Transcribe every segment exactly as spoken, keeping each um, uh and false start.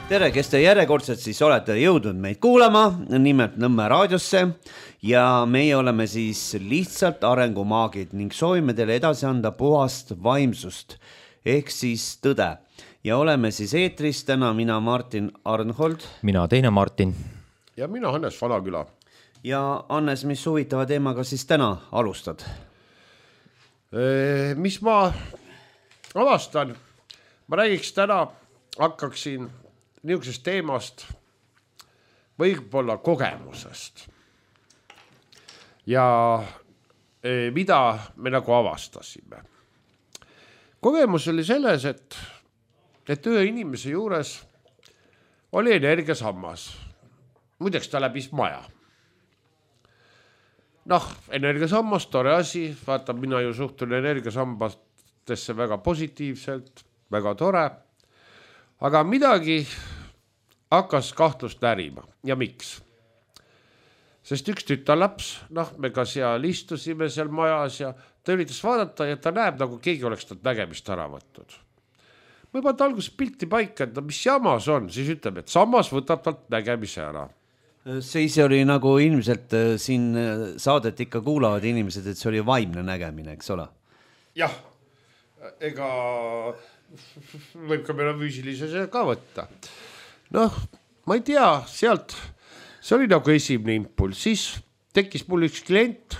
Tere, kes te järjekordselt siis olete jõudnud meid kuulama, nimelt Nõmme raadiosse ja meie oleme siis lihtsalt arengumaagid ning soovime teile edasi anda puhast vaimsust ehk siis tõde. Ja oleme siis eetris täna mina Martin Arnhold. Mina teine Martin. Ja mina Hannes Vanaküla. Ja Hannes, mis huvitava teemaga siis täna alustad? E, mis ma avastan? Ma räägiks täna, hakkaksin niisugusest teemast võib-olla kogemusest. Ja e, mida me nagu avastasime. Kogemus oli selles, et, et ühe inimese juures oli energiasammas. Muideks ta läbis maja. Noh, energiasammas, tore asi, vaata, mina ju suhtun energiasambastesse väga positiivselt, väga tore. Aga midagi hakkas kahtlust närima. Ja miks? Sest üks tütarlaps, noh, me ka seal istusime seal majas ja ta üritas vaadata ja ta näeb, nagu keegi oleks talt nägemist ära võtnud. Ma juba alguses pilti paika, et mis jamas on, siis ütleb, et sammas võtab talt nägemise ära. Siis oli nagu ilmselt siin saadet ikka kuulavad inimesed, et see oli vaimne nägemine, eks ole? Jah, ega võib ka meil füüsilise ka võtta. Noh, ma ei tea, sealt, see oli nagu esimene impulss, siis tekkis mul üks klient,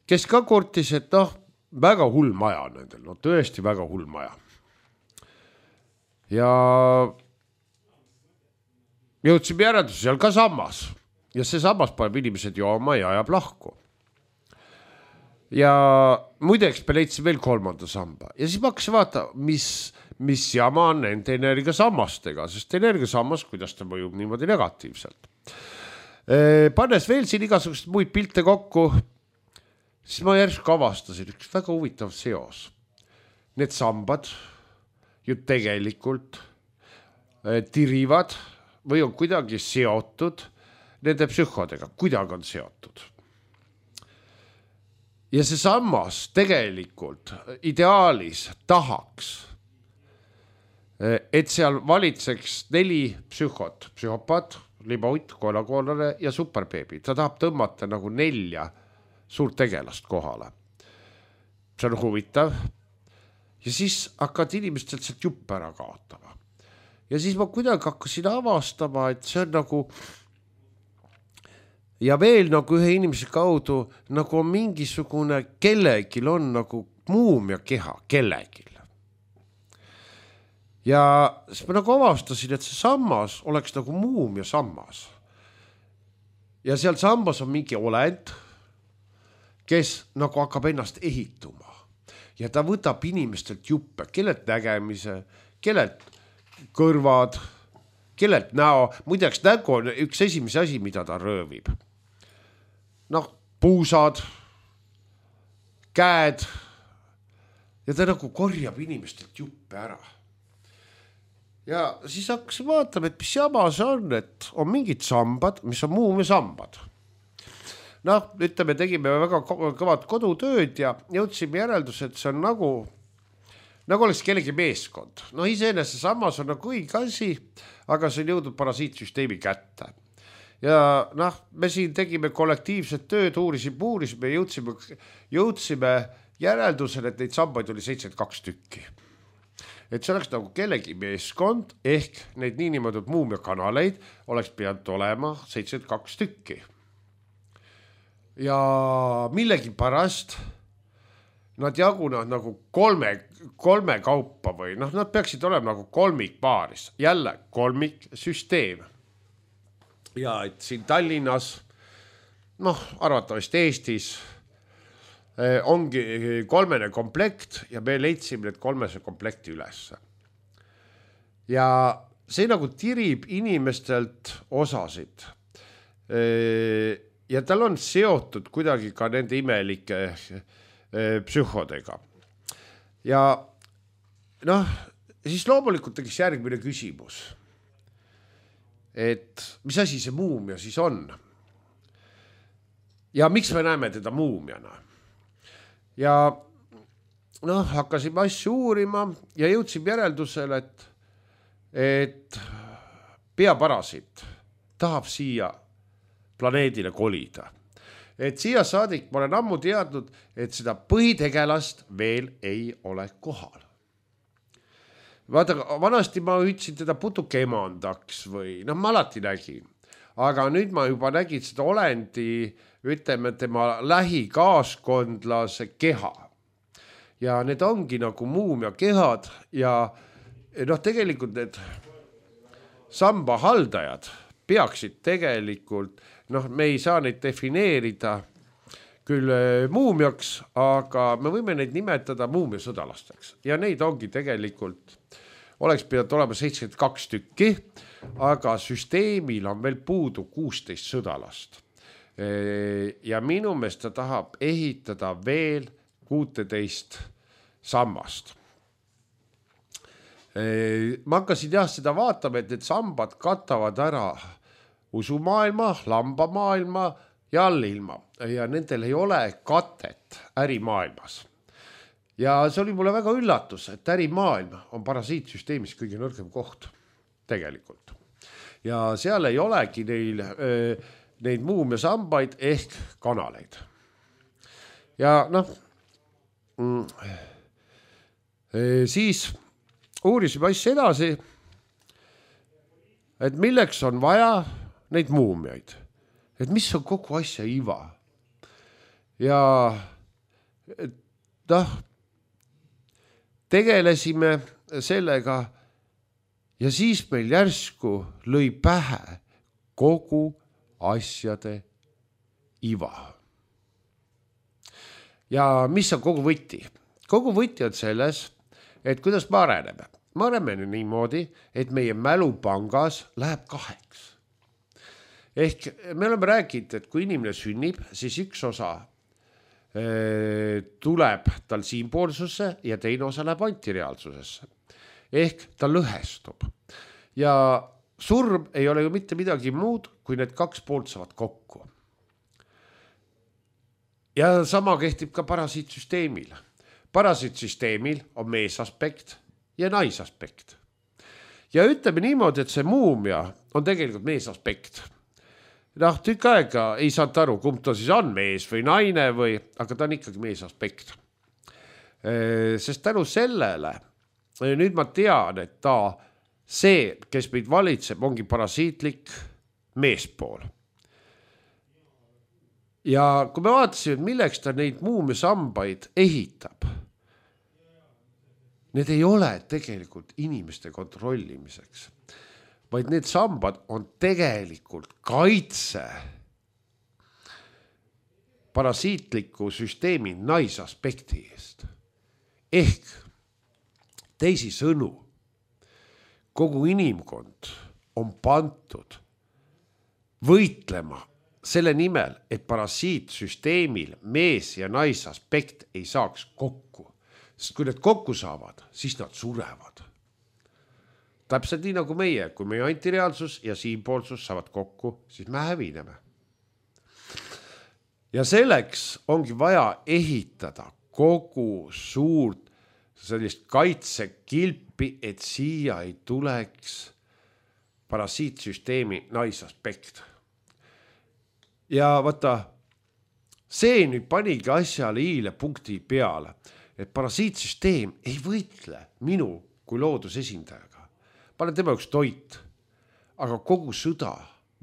kes ka kortis, et noh, väga hull maja nendel, no tõesti väga hull maja. Ja jõudsime järeldus seal ka sammas ja see sammas paneb inimesed jooma ja ajab lahku. Ja muideks me leidsime veel kolmanda samba ja siis ma hakkasin vaata, mis, mis jama on nende energiasammastega, sest energiasammas, kuidas ta mõjub niimoodi negatiivselt. Pannes veel siin igasugust muid pilte kokku, siis ma järsku avastasin üks väga huvitav seos. Need sambad ju tegelikult tirivad või on kuidagi seotud nende psühhodega, kuidagi on seotud. Ja see sammas tegelikult ideaalis tahaks, et seal valitseks neli psühhot, psühhopaat, libautt, koelakoolane ja superbeebi. Ta tahab tõmmata nagu nelja suurt tegelast kohale. See on huvitav. Ja siis hakkad inimestelt sealt juppe ära kaotama. Ja siis ma kuidagi hakkasin avastama, et see on nagu ja veel nagu ühe inimese kaudu nagu on mingisugune kellegil on nagu muumia keha kellegil. Ja siis ma nagu avastasin, et see sammas oleks nagu muumia sammas. Ja seal sambas on mingi olend, kes nagu hakkab ennast ehituma. Ja ta võtab inimestelt juppe, kellelt nägemise, kellelt kõrvad, kellelt näo. Muideks nägu on üks esimese asi, mida ta röövib. Noh, puusad, käed ja ta nagu korjab inimestelt juppe ära. Ja siis hakkas vaatama, et mis jama see on, et on mingid sambad, mis on muumia sambad. Noh, ütleme, tegime väga kõvad kodutööd ja jõudsime järeldus, et see on nagu, nagu oleks kellegi meeskond. No iseenese sammas on nagu õige asi, aga see on jõudnud parasiitsüsteemi kätte. Ja noh, me siin tegime kollektiivset tööd, uurisime, uurisime, jõudsime, jõudsime järeldusele, et neid sambaid oli seitsekümmend kaks tükki. Et see oleks nagu kellegi meeskond, ehk neid niinimetatud muumia kanaleid oleks pidanud olema seitsekümmend kaks tükki. Ja millegi pärast nad jagunevad nagu kolme, kolme kaupa või noh, nad peaksid olema nagu kolmik paaris. Jälle kolmik süsteem. Ja et siin Tallinnas, noh, arvatavasti Eestis ongi kolmene komplekt ja me leidsime need kolmese komplekti üles. Ja see nagu tirib inimestelt osasid. Ja tal on seotud kuidagi ka nende imelike psühhodega. Ja noh, siis loomulikult tekiks järgmine küsimus. Et mis asi see muumia siis on? Ja miks me näeme teda muumiana? Ja noh, hakkasime asju uurima ja jõudsime järeldusele, et, et peaparasiit tahab siia planeedile kolida. Et siia saadik ma olen ammu teadnud, et seda põhitegelast veel ei ole kohal. Vaata, vanasti ma ütlesin teda putuke emandaks või noh, ma alati nägin. Aga nüüd ma juba nägin seda olendi, ütleme tema lähikaaskondlase keha. Ja need ongi nagu muumia kehad ja noh, tegelikult need samba haldajad peaksid tegelikult, noh, me ei saa neid defineerida küll muumiaks, aga me võime neid nimetada muumia sõdalasteks. Ja neid ongi tegelikult, oleks pidanud olema seitsekümmend kaks tükki, aga süsteemil on veel puudu kuusteist sõdalast. Ja minu meelest ta tahab ehitada veel kuusteist sammast. Ma hakkasin jah seda vaatama, et need sambad katavad ära usumaailma, lambamaailma ja allilma ja nendel ei ole katet ärimaailmas. Ja see oli mulle väga üllatus, et ärimaailm on parasiitsüsteemis kõige nõrgem koht tegelikult. Ja seal ei olegi neil, neid muumia sambaid ehk kanaleid. Ja noh, siis uurisime asja edasi, et milleks on vaja neid muumiaid, et mis on kogu asja iva. Ja noh, tegelesime sellega ja siis meil järsku lõi pähe kogu asjade iva. Ja mis on kogu võti? Kogu võti on selles, et kuidas me areneme. Me areneme niimoodi, et meie mälupangas läheb kaheks. Ehk me oleme rääkinud, et kui inimene sünnib, siis üks osa e, tuleb tal siinpoolsusse ja teine osa läheb antireaalsusesse. Ehk ta lõhestub. Ja surm ei ole ju mitte midagi muud, kui need kaks poolt saavad kokku. Ja sama kehtib ka parasiitsüsteemil. Parasiitsüsteemil on meesaspekt ja naisaspekt. Ja ütleme niimoodi, et see muumia on tegelikult meesaspekt. Noh, tükk aega ei saanud aru, kumb ta siis on, mees või naine, või, aga ta on ikkagi meesaspekt. Sest tänu sellele, nüüd ma tean, et ta see, kes meid valitseb, ongi parasiitlik meespool. Ja kui me vaatasime, milleks ta neid muumia sambaid ehitab, need ei ole tegelikult inimeste kontrollimiseks, vaid need sambad on tegelikult kaitse parasiitliku süsteemi naisaspekti eest. Ehk teisi sõnu, kogu inimkond on pantud võitlema selle nimel, et parasiitsüsteemil mees ja naisaspekt ei saaks kokku. Sest kui need kokku saavad, siis nad surevad. Täpselt nii nagu meie, kui meie antireaalsus ja siinpoolsus saavad kokku, siis me hävineme. Ja selleks ongi vaja ehitada kogu suurt sellist kaitsekilpi, et siia ei tuleks parasiitsüsteemi naisaspekt. Ja vaata, see nüüd panigi asjale iile punkti peale, et parasiitsüsteem ei võitle minu kui loodusesindajaga. Ma olen tema üks toit, aga kogu sõda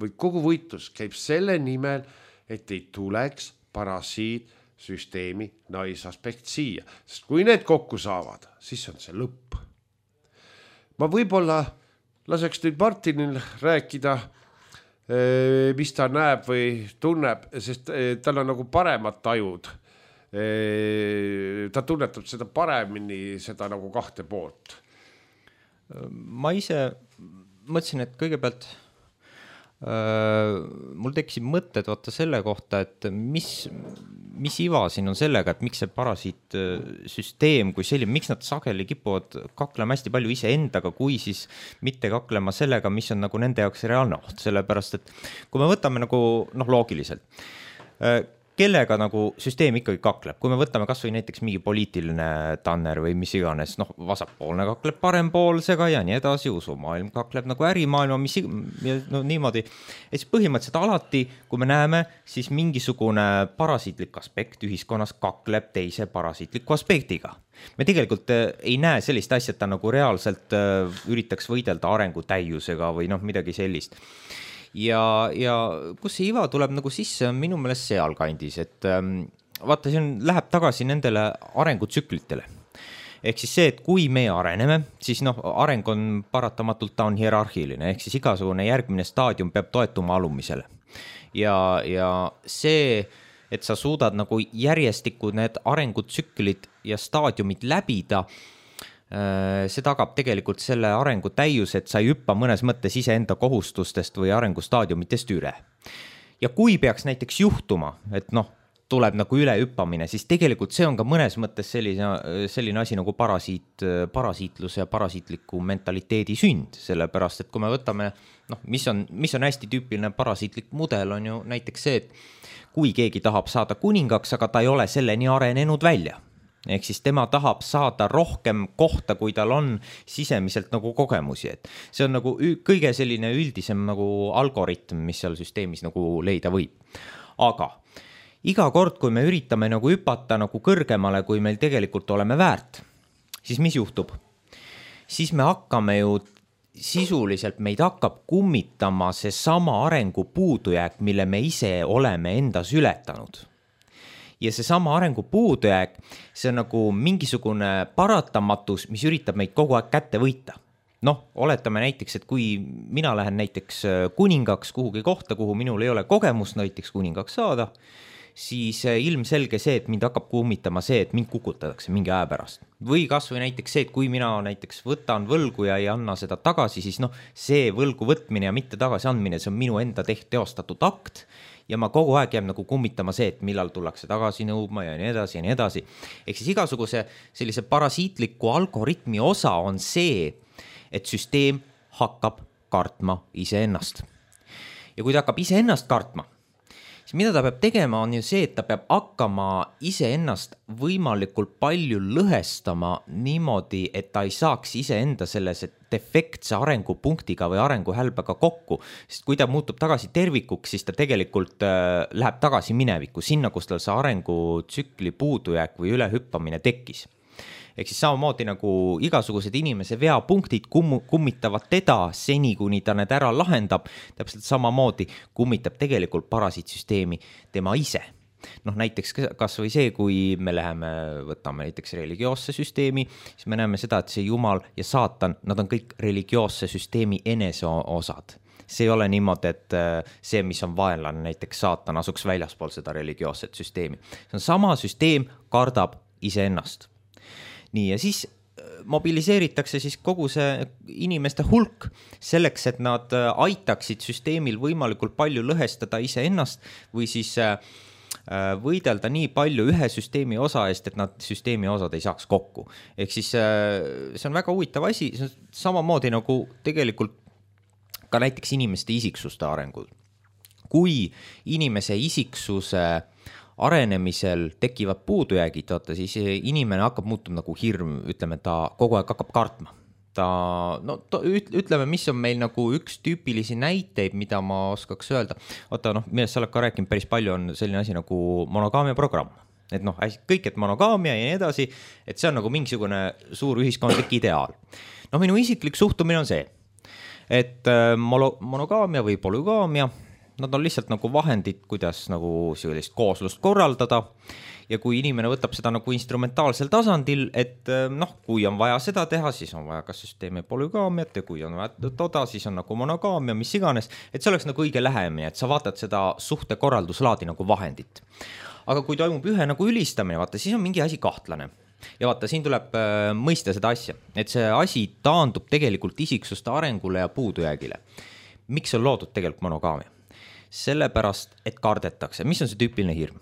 või kogu võitlus käib selle nimel, et ei tuleks parasiitsüsteemi naisaspekt siia. Sest kui need kokku saavad, siis on see lõpp. Ma võib-olla laseks nüüd Martinil rääkida, mis ta näeb või tunneb, sest tal on nagu paremad tajud. Ta tunnetab seda paremini, seda nagu kahte poolt. Ma ise mõtlesin, et kõigepealt äh, mul tekkisid mõtted vaata selle kohta, et mis, mis iva siin on sellega, et miks see parasiitsüsteem kui selline, miks nad sageli kipuvad kaklema hästi palju ise endaga, kui siis mitte kaklema sellega, mis on nagu nende jaoks reaalne oht, sellepärast et kui me võtame nagu noh, loogiliselt, kellega nagu süsteem ikkagi kakleb, kui me võtame kas või näiteks mingi poliitiline tanner või mis iganes, noh, vasakpoolne kakleb parempoolsega ja nii edasi, usumaailm kakleb nagu ärimaailma, mis ja no niimoodi. Et siis põhimõtteliselt alati, kui me näeme, siis mingisugune parasiitlik aspekt ühiskonnas kakleb teise parasiitliku aspektiga. Me tegelikult ei näe sellist asja, et ta nagu reaalselt üritaks võidelda arengu täiusega või noh, midagi sellist. Ja, ja kus see iva tuleb nagu sisse, on minu meelest sealkandis, et vaata, see on, läheb tagasi nendele arengutsüklitele. Ehk siis see, et kui me areneme, siis noh, areng on paratamatult, ta on hierarhiline, ehk siis igasugune järgmine staadium peab toetuma alumisele. Ja, ja see, et sa suudad nagu järjestikku need arengutsüklid ja staadiumid läbida, see tagab tegelikult selle arengu täius, et sa ei hüppa mõnes mõttes iseenda kohustustest või arengustaadiumitest üle. Ja kui peaks näiteks juhtuma, et noh, tuleb nagu üle hüppamine, siis tegelikult see on ka mõnes mõttes selline, selline asi nagu parasiit, parasiitluse ja parasiitliku mentaliteedi sünd, sellepärast, et kui me võtame, noh, mis on, mis on hästi tüüpiline parasiitlik mudel, on ju näiteks see, et kui keegi tahab saada kuningaks, aga ta ei ole selleni arenenud välja. Ehk siis tema tahab saada rohkem kohta, kui tal on sisemiselt nagu kogemusi, et see on nagu kõige selline üldisem nagu algoritm, mis seal süsteemis nagu leida võib. Aga iga kord, kui me üritame nagu hüpata nagu kõrgemale, kui meil tegelikult oleme väärt, siis mis juhtub? Siis me hakkame ju sisuliselt, meid hakkab kummitama see sama arengu puudujääk, mille me ise oleme endas ületanud. Ja see sama arengu puudujääk, see on nagu mingisugune paratamatus, mis üritab meid kogu aeg kätte võita. Noh, oletame näiteks, et kui mina lähen näiteks kuningaks kuhugi kohta, kuhu minul ei ole kogemust näiteks kuningaks saada, siis ilmselge see, et mind hakkab kummitama see, et mind kukutatakse mingi aja pärast. Või kas või näiteks see, et kui mina näiteks võtan võlgu ja ei anna seda tagasi, siis noh, see võlgu võtmine ja mitte tagasi andmine, see on minu enda teht teostatud akt ja ma kogu aeg jääb nagu kummitama see, et millal tullakse tagasi nõudma ja nii edasi ja nii edasi. Ehk siis igasuguse sellise parasiitliku algoritmi osa on see, et süsteem hakkab kartma iseennast. Ja kui ta hakkab iseennast kartma, siis mida ta peab tegema, on ju see, et ta peab hakkama iseennast võimalikult palju lõhestama niimoodi, et ta ei saaks iseenda selles defektse arengupunktiga või arenguhälbega kokku, sest kui ta muutub tagasi tervikuks, siis ta tegelikult äh, läheb tagasi minevikku, sinna, kus tal see arengutsükli puudujääk või ülehüppamine tekkis. Ehk siis samamoodi nagu igasugused inimese veapunktid kum- kummitavad teda seni, kuni ta need ära lahendab, täpselt samamoodi kummitab tegelikult parasiitsüsteemi tema ise. Noh, näiteks kas või see, kui me läheme, võtame näiteks religioosse süsteemi, siis me näeme seda, et see Jumal ja Saatan, nad on kõik religioosse süsteemi eneseosad. See ei ole niimoodi, et see, mis on vaenlane, näiteks Saatan asuks väljaspool seda religioosset süsteemi. See on sama süsteem, kardab iseennast. Nii, ja siis mobiliseeritakse siis kogu see inimeste hulk selleks, et nad aitaksid süsteemil võimalikult palju lõhestada iseennast või siis võidelda nii palju ühe süsteemi osa eest, et nad süsteemi osad ei saaks kokku. Ehk siis see on väga huvitav asi, see on samamoodi nagu tegelikult ka näiteks inimeste isiksuste arengud. Kui inimese isiksuse arenemisel tekivad puudujäägid, vaata, siis inimene hakkab muutuma nagu hirm, ütleme, ta kogu aeg hakkab kartma. Ta, no, ta, ütleme, mis on meil nagu üks tüüpilisi näiteid, mida ma oskaks öelda. Vaata, noh, millest sa oled ka rääkinud päris palju, on selline asi nagu monogaamia programm. Et noh, kõik, et monogaamia ja nii edasi, et see on nagu mingisugune suur ühiskondlik ideaal. No minu isiklik suhtumine on see, et monogaamia või polügaamia, nad on lihtsalt nagu vahendid, kuidas nagu sellist kooslust korraldada ja kui inimene võtab seda nagu instrumentaalsel tasandil, et noh, kui on vaja seda teha, siis on vaja kas süsteemi polügaamiat ja kui on vaja toda, siis on nagu monogaamia, mis iganes, et see oleks nagu õige lähemine, et sa vaatad seda suhte korralduslaadi nagu vahendit. Aga kui toimub ühe nagu ülistamine, vaata, siis on mingi asi kahtlane. Ja vaata, siin tuleb äh, mõista seda asja, et see asi taandub tegelikult isiksuste arengule ja puudujäägile. Miks on loodud tegelikult monogaamia? Sellepärast, et kardetakse. Mis on see tüüpiline hirm?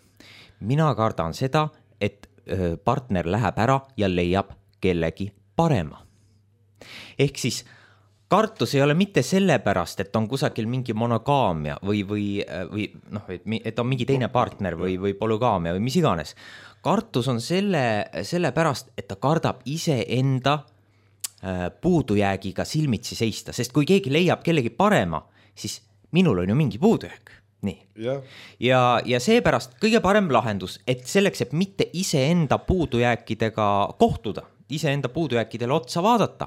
Mina kardan seda, et partner läheb ära ja leiab kellegi parema. Ehk siis kartus ei ole mitte sellepärast, et on kusagil mingi monogaamia või, või, või noh, et on mingi teine partner või, või polügaamia või mis iganes. Kartus on selle, sellepärast, et ta kardab iseenda puudujäägiga silmitsi seista, sest kui keegi leiab kellegi parema, siis minul on ju mingi puudujääg. Nii. Ja, ja, ja seepärast kõige parem lahendus, et selleks, et mitte iseenda puudujääkidega kohtuda, iseenda puudujääkidele otsa vaadata,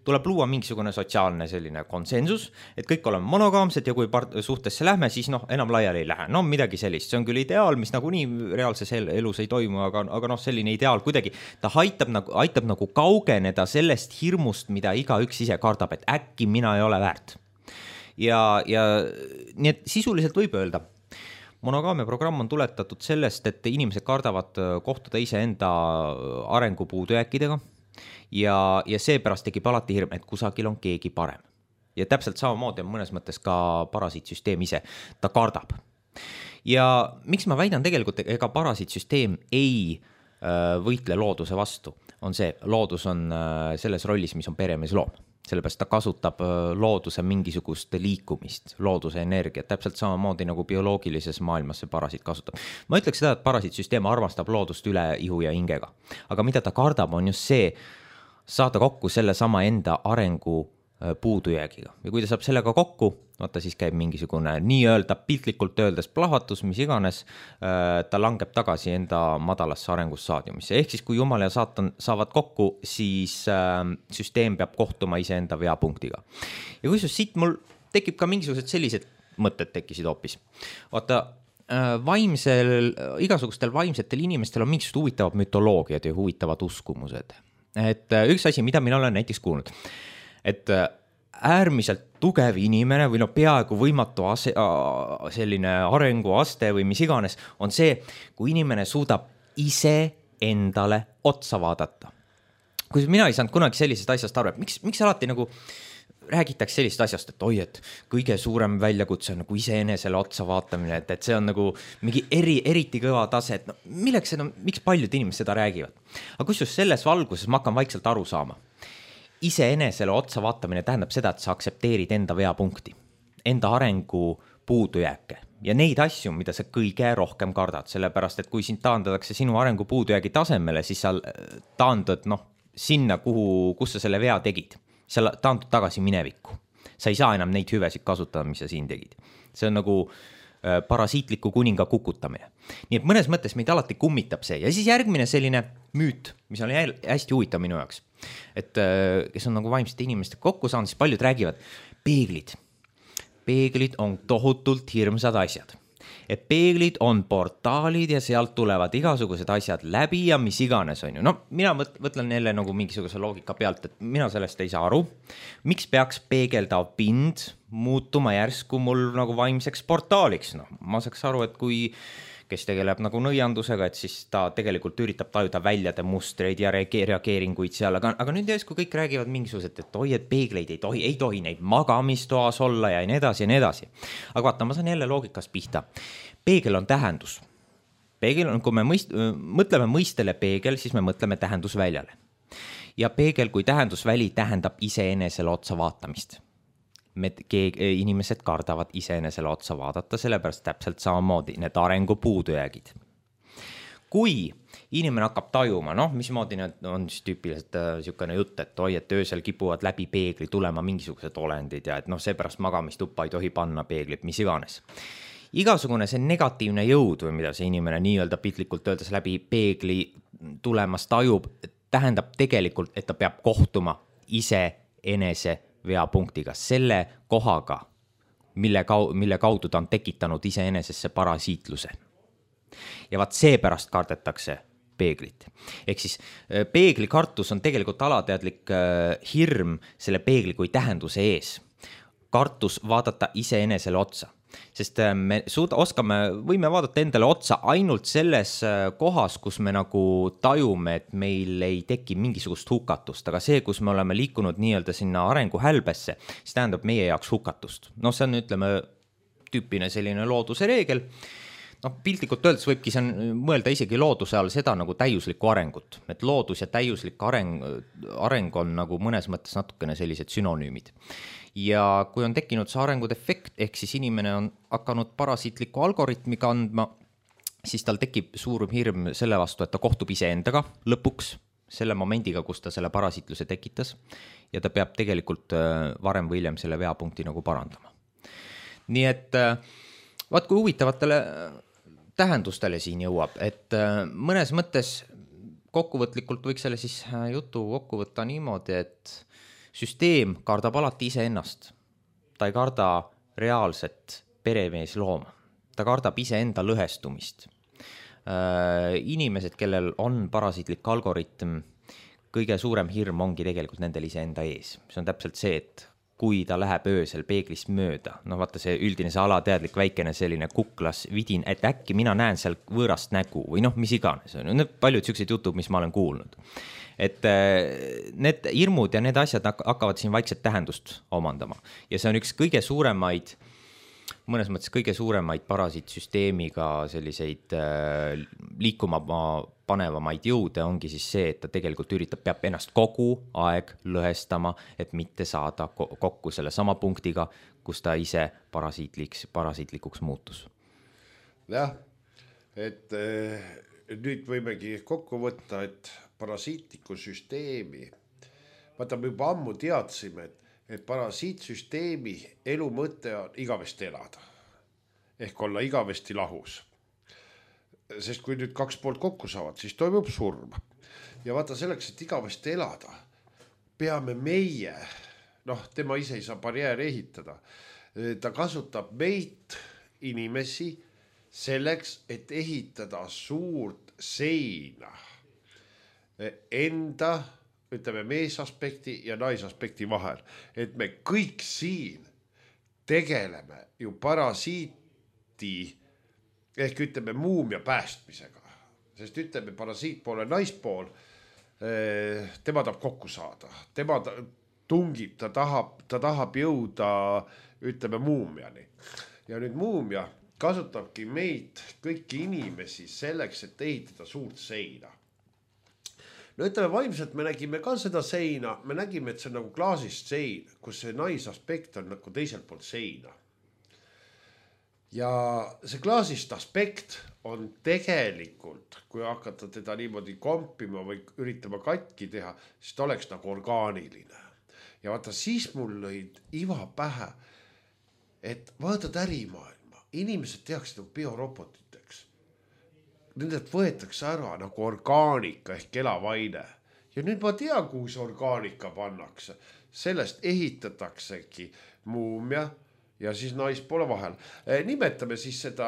tuleb luua mingisugune sotsiaalne selline konsensus, et kõik oleme monogaamsed ja kui part- suhtesse lähme, siis noh, enam laiali ei lähe. No midagi sellist, see on küll ideaal, mis nagu nii reaalses elus ei toimu, aga, aga noh, selline ideaal kuidagi, ta aitab nagu, aitab nagu kaugeneda sellest hirmust, mida igaüks ise kardab, et äkki mina ei ole väärt. Ja, ja nii et sisuliselt võib öelda, monogaamia programm on tuletatud sellest, et inimesed kardavad kohtuda iseenda arengu puudujääkidega ja, ja seepärast tekib alati hirm, et kusagil on keegi parem. Ja täpselt samamoodi on mõnes mõttes ka parasiitsüsteem ise, ta kardab. Ja miks ma väidan tegelikult, ega parasiitsüsteem ei võitle looduse vastu, on see, loodus on selles rollis, mis on peremees loom. Sellepärast ta kasutab looduse mingisugust liikumist, looduse energiat, täpselt samamoodi nagu bioloogilises maailmas see parasiit kasutab. Ma ütleks seda, et parasiitsüsteem armastab loodust üle ihu ja hingega. Aga mida ta kardab, on just see saada kokku selle sama enda arengu puudujäägiga. Ja kui ta saab sellega kokku, vaata siis käib mingisugune nii-öelda piltlikult öeldes plahvatus, mis iganes, ta langeb tagasi enda madalasse arengussaadiumisse. Ehk siis kui Jumal ja Saatan saavad kokku, siis süsteem peab kohtuma iseenda veapunktiga. Ja kui siit mul tekib ka mingisugused sellised mõtted tekkisid hoopis. Vaata, vaimsel, igasugustel vaimsetel inimestel on mingisugused huvitavad mütoloogiad ja huvitavad uskumused. Et üks asi, mida mina olen näiteks kuulnud, et äärmiselt tugev inimene või no peaaegu võimatu ase, selline arenguaste või mis iganes on see, kui inimene suudab ise endale otsa vaadata. Kui mina ei saanud kunagi sellisest asjast aru, et miks, miks alati nagu räägitakse sellist asjast, et oi, et kõige suurem väljakutse on nagu iseenesele otsa vaatamine, et, et see on nagu mingi eri, eriti kõva tase, et no, milleks seda, miks paljud inimesed seda räägivad. Aga kus just selles valguses ma hakkan vaikselt aru saama. Iseenesele otsa vaatamine tähendab seda, et sa aksepteerid enda veapunkti, enda arengu puudujääke ja neid asju, mida sa kõige rohkem kardad, sellepärast, et kui sind taandatakse sinu arengu puudujäägi tasemele, siis sa taandud noh, sinna, kuhu, kus sa selle vea tegid. Sa taandud tagasi minevikku. Sa ei saa enam neid hüvesid kasutada, mis sa siin tegid. See on nagu parasiitliku kuninga kukutamine. Nii et mõnes mõttes meid alati kummitab see. Ja siis järgmine selline müüt, mis oli hästi huvitav minu jaoks. Et kes on nagu vaimsete inimeste kokku saanud, siis paljud räägivad peeglid. Peeglid on tohutult hirmsad asjad. Et peeglid on portaalid ja sealt tulevad igasugused asjad läbi ja mis iganes on ju. No mina mõtlen jälle nagu mingisuguse loogika pealt, et mina sellest ei saa aru. Miks peaks peegeldav pind muutuma järsku mul nagu vaimseks portaaliks? No, ma saaks aru, et kui kes tegeleb nagu nõiandusega, et siis ta tegelikult üritab tajuda väljade mustreid ja reageeringuid seal, aga, aga nüüd järsku kõik räägivad mingisugused, et oi, et peegleid ei tohi, ei tohi neid magamistoas olla ja nii edasi ja nii edasi. Aga vaata, ma saan jälle loogikast pihta. Peegel on tähendus. Peegel on, kui me mõist, mõtleme mõistele peegel, siis me mõtleme tähendusväljale. Ja peegel kui tähendusväli tähendab iseenesele otsa vaatamist. Me, inimesed kardavad iseenesele otsa vaadata, sellepärast täpselt samamoodi need arengu puudujäägid. Kui inimene hakkab tajuma, noh, mismoodi on siis tüüpiliselt niisugune jutt, et oi, et öösel kipuvad läbi peegli tulema mingisugused olendid ja et noh, seepärast magamistuppa ei tohi panna peeglit, mis iganes. Igasugune see negatiivne jõud või mida see inimene nii-öelda piltlikult öeldes läbi peegli tulemas tajub, tähendab tegelikult, et ta peab kohtuma ise enese veapunktiga, selle kohaga, mille, kau- mille kaudu ta on tekitanud iseenesesse parasiitluse. Ja vaat seepärast kardetakse peeglit. Ehk siis peegli kartus on tegelikult alateadlik hirm selle peegli kui tähenduse ees. Kartus vaadata iseenesele otsa. Sest me suuda, oskame, võime vaadata endale otsa ainult selles kohas, kus me nagu tajume, et meil ei teki mingisugust hukatust, aga see, kus me oleme liikunud nii-öelda sinna arengu hälbesse, siis tähendab meie jaoks hukatust. No see on, ütleme, tüüpine selline looduse reegel. noh, piltlikult öeldes võibki see mõelda isegi looduse all seda nagu täiuslikku arengut, et loodus ja täiuslik areng, areng on nagu mõnes mõttes natukene sellised sünonüümid. Ja kui on tekkinud see arengudefekt, ehk siis inimene on hakanud parasiitliku algoritmi kandma, siis tal tekib suur hirm selle vastu, et ta kohtub iseendaga lõpuks, selle momendiga, kus ta selle parasiitluse tekitas ja ta peab tegelikult varem või hiljem selle veapunkti nagu parandama. Nii et vaat kui huvitavatele tähendustele siin jõuab, et mõnes mõttes kokkuvõtlikult võiks selle siis jutu kokku võtta niimoodi, et süsteem kardab alati iseennast. Ta ei karda reaalset peremeeslooma. Ta kardab iseenda lõhestumist. Inimesed, kellel on parasiitlik algoritm, kõige suurem hirm ongi tegelikult nendel iseenda ees. See on täpselt see, et kui ta läheb öösel peeglist mööda, noh vaata see üldine see alateadlik väikene selline kuklas vidin, et äkki mina näen seal võõrast nägu või noh, mis iganes. Need paljud sellised jutud, mis ma olen kuulnud. Et need hirmud ja need asjad hakkavad siin vaikselt tähendust omandama. Ja see on üks kõige suuremaid mõnes mõttes kõige suuremaid parasiitsüsteemiga selliseid äh, liikuma panevamaid jõude ongi siis see, et ta tegelikult üritab, peab ennast kogu aeg lõhestama, et mitte saada kokku selle sama punktiga, kus ta ise parasiitliks, parasiitlikuks muutus. Jah, et äh, nüüd võimegi kokku võtta, et parasiitliku süsteemi, vaata me juba ammu teadsime, et et parasiitsüsteemi elu mõte on igavesti elada. Ehk olla igavesti lahus. Sest kui nüüd kaks poolt kokku saavad, siis toimub surm. Ja vaata selleks, et igavesti elada, peame meie, noh, tema ise ei saa barjääri ehitada. Ta kasutab meid inimesi selleks, et ehitada suurt seina enda ütleme meesaspekti ja naisaspekti vahel, et me kõik siin tegeleme ju parasiiti ehk ütleme muumia päästmisega, sest ütleme parasiitpool ja naispool, tema tahab kokku saada, tema tungib, ta tahab, ta tahab jõuda ütleme muumiani ja nüüd muumia kasutabki meid kõiki inimesi selleks, et ehitada suurt seina. No ütleme vaimselt me nägime ka seda seina, me nägime, et see on nagu klaasist sein, kus see naisaspekt on nagu teiselt poolt seina. Ja see klaasist aspekt on tegelikult, kui hakata teda niimoodi kompima või üritama katki teha, siis ta oleks nagu orgaaniline. Ja vaata, siis mul lõid iva pähe, et vaatad ärimaailma, inimesed tehakse nagu biorobotiteks. Nendelt võetakse ära nagu orgaanika ehk elavaine. Ja nüüd ma tean, kuhu see orgaanika pannakse. Sellest ehitataksegi muumia ja siis naispoole vahel. Nimetame siis seda,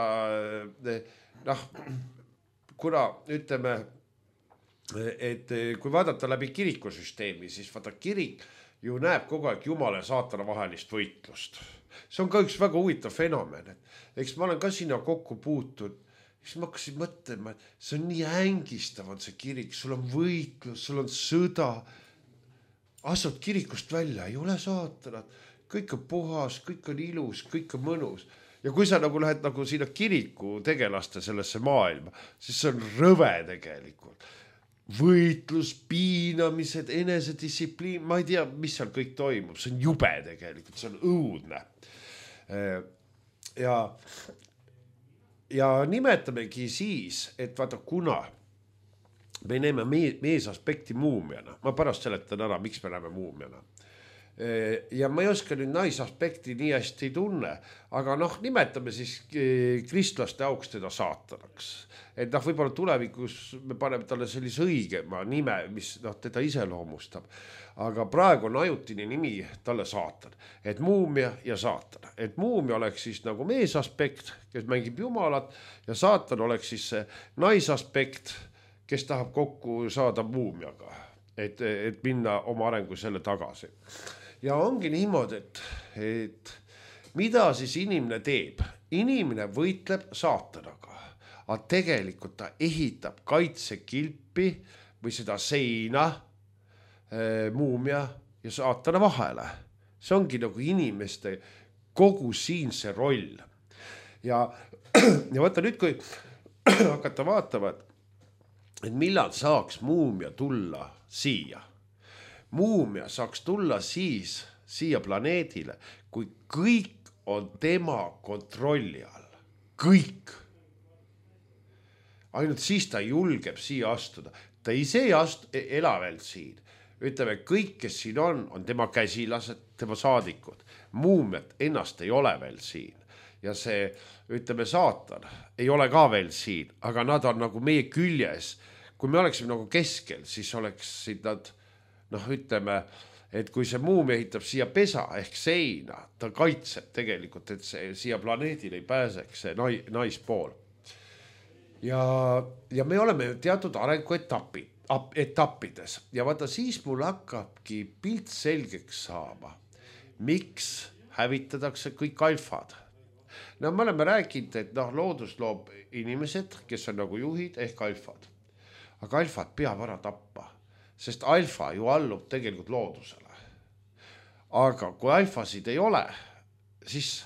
noh, kuna ütleme, et kui vaadata läbi kirikusüsteemi, siis vaata kirik ju näeb kogu aeg Jumala ja saatana vahelist võitlust. See on ka üks väga huvitav fenomen. Eks ma olen ka sinna kokku puutud. Siis ma hakkasin mõtlema, et see on nii ängistav on see kirik, sul on võitlus, sul on sõda. Astud kirikust välja, ei ole saatanat, kõik on puhas, kõik on ilus, kõik on mõnus. Ja kui sa nagu lähed nagu sinna kiriku tegelaste sellesse maailma, siis see on rõve tegelikult. Võitlus, piinamised, enesedistsipliin, ma ei tea, mis seal kõik toimub, see on jube tegelikult, see on õudne. Ja Ja nimetamegi siis, et vaata kuna me näeme meesaspekti muumiana, ma pärast seletan ära, miks me näeme muumiana. Ja ma ei oska nüüd naisaspekti nii hästi tunne, aga noh, nimetame siis kristlaste auks teda saatanaks. Et noh, võib-olla tulevikus me paneme talle sellise õigema nime, mis noh, teda iseloomustab. Aga praegu on ajutine nimi talle saatan. Et muumia ja saatan. Et muumia oleks siis nagu meesaspekt, kes mängib jumalat, ja saatan oleks siis see naisaspekt, kes tahab kokku saada muumiaga. Et, et minna oma arengu selle tagasi. Ja ongi niimoodi, et, et mida siis inimene teeb? Inimene võitleb saatanaga, aga tegelikult ta ehitab kaitsekilpi või seda seina e, muumia ja saatana vahele. See ongi nagu inimeste kogu siinse roll. ja, ja vaata nüüd, kui hakata vaatama, et, et millal saaks muumia tulla siia. Muumia saaks tulla siis siia planeedile, kui kõik on tema kontrolli all. Kõik. Ainult siis ta julgeb siia astuda. Ta ise ei astu, ela veel siin. Ütleme, kõik, kes siin on, on tema käsilased, tema saadikud. Muumiat ennast ei ole veel siin. Ja see, ütleme, saatan ei ole ka veel siin, aga nad on nagu meie küljes. Kui me oleksime nagu keskel, siis oleksid nad, noh, ütleme, et kui see muumia ehitab siia pesa ehk seina, ta kaitseb tegelikult, et see siia planeedile ei pääseks see naispool. Ja, ja me oleme teatud arenguetapid, etappides ja vaata siis mul hakkabki pilt selgeks saama, miks hävitatakse kõik alfad. No me oleme rääkinud, et noh, loodus loob inimesed, kes on nagu juhid ehk alfad. Aga alfad peab ära tappa, sest alfa ju allub tegelikult loodusele. Aga kui alfasid ei ole, siis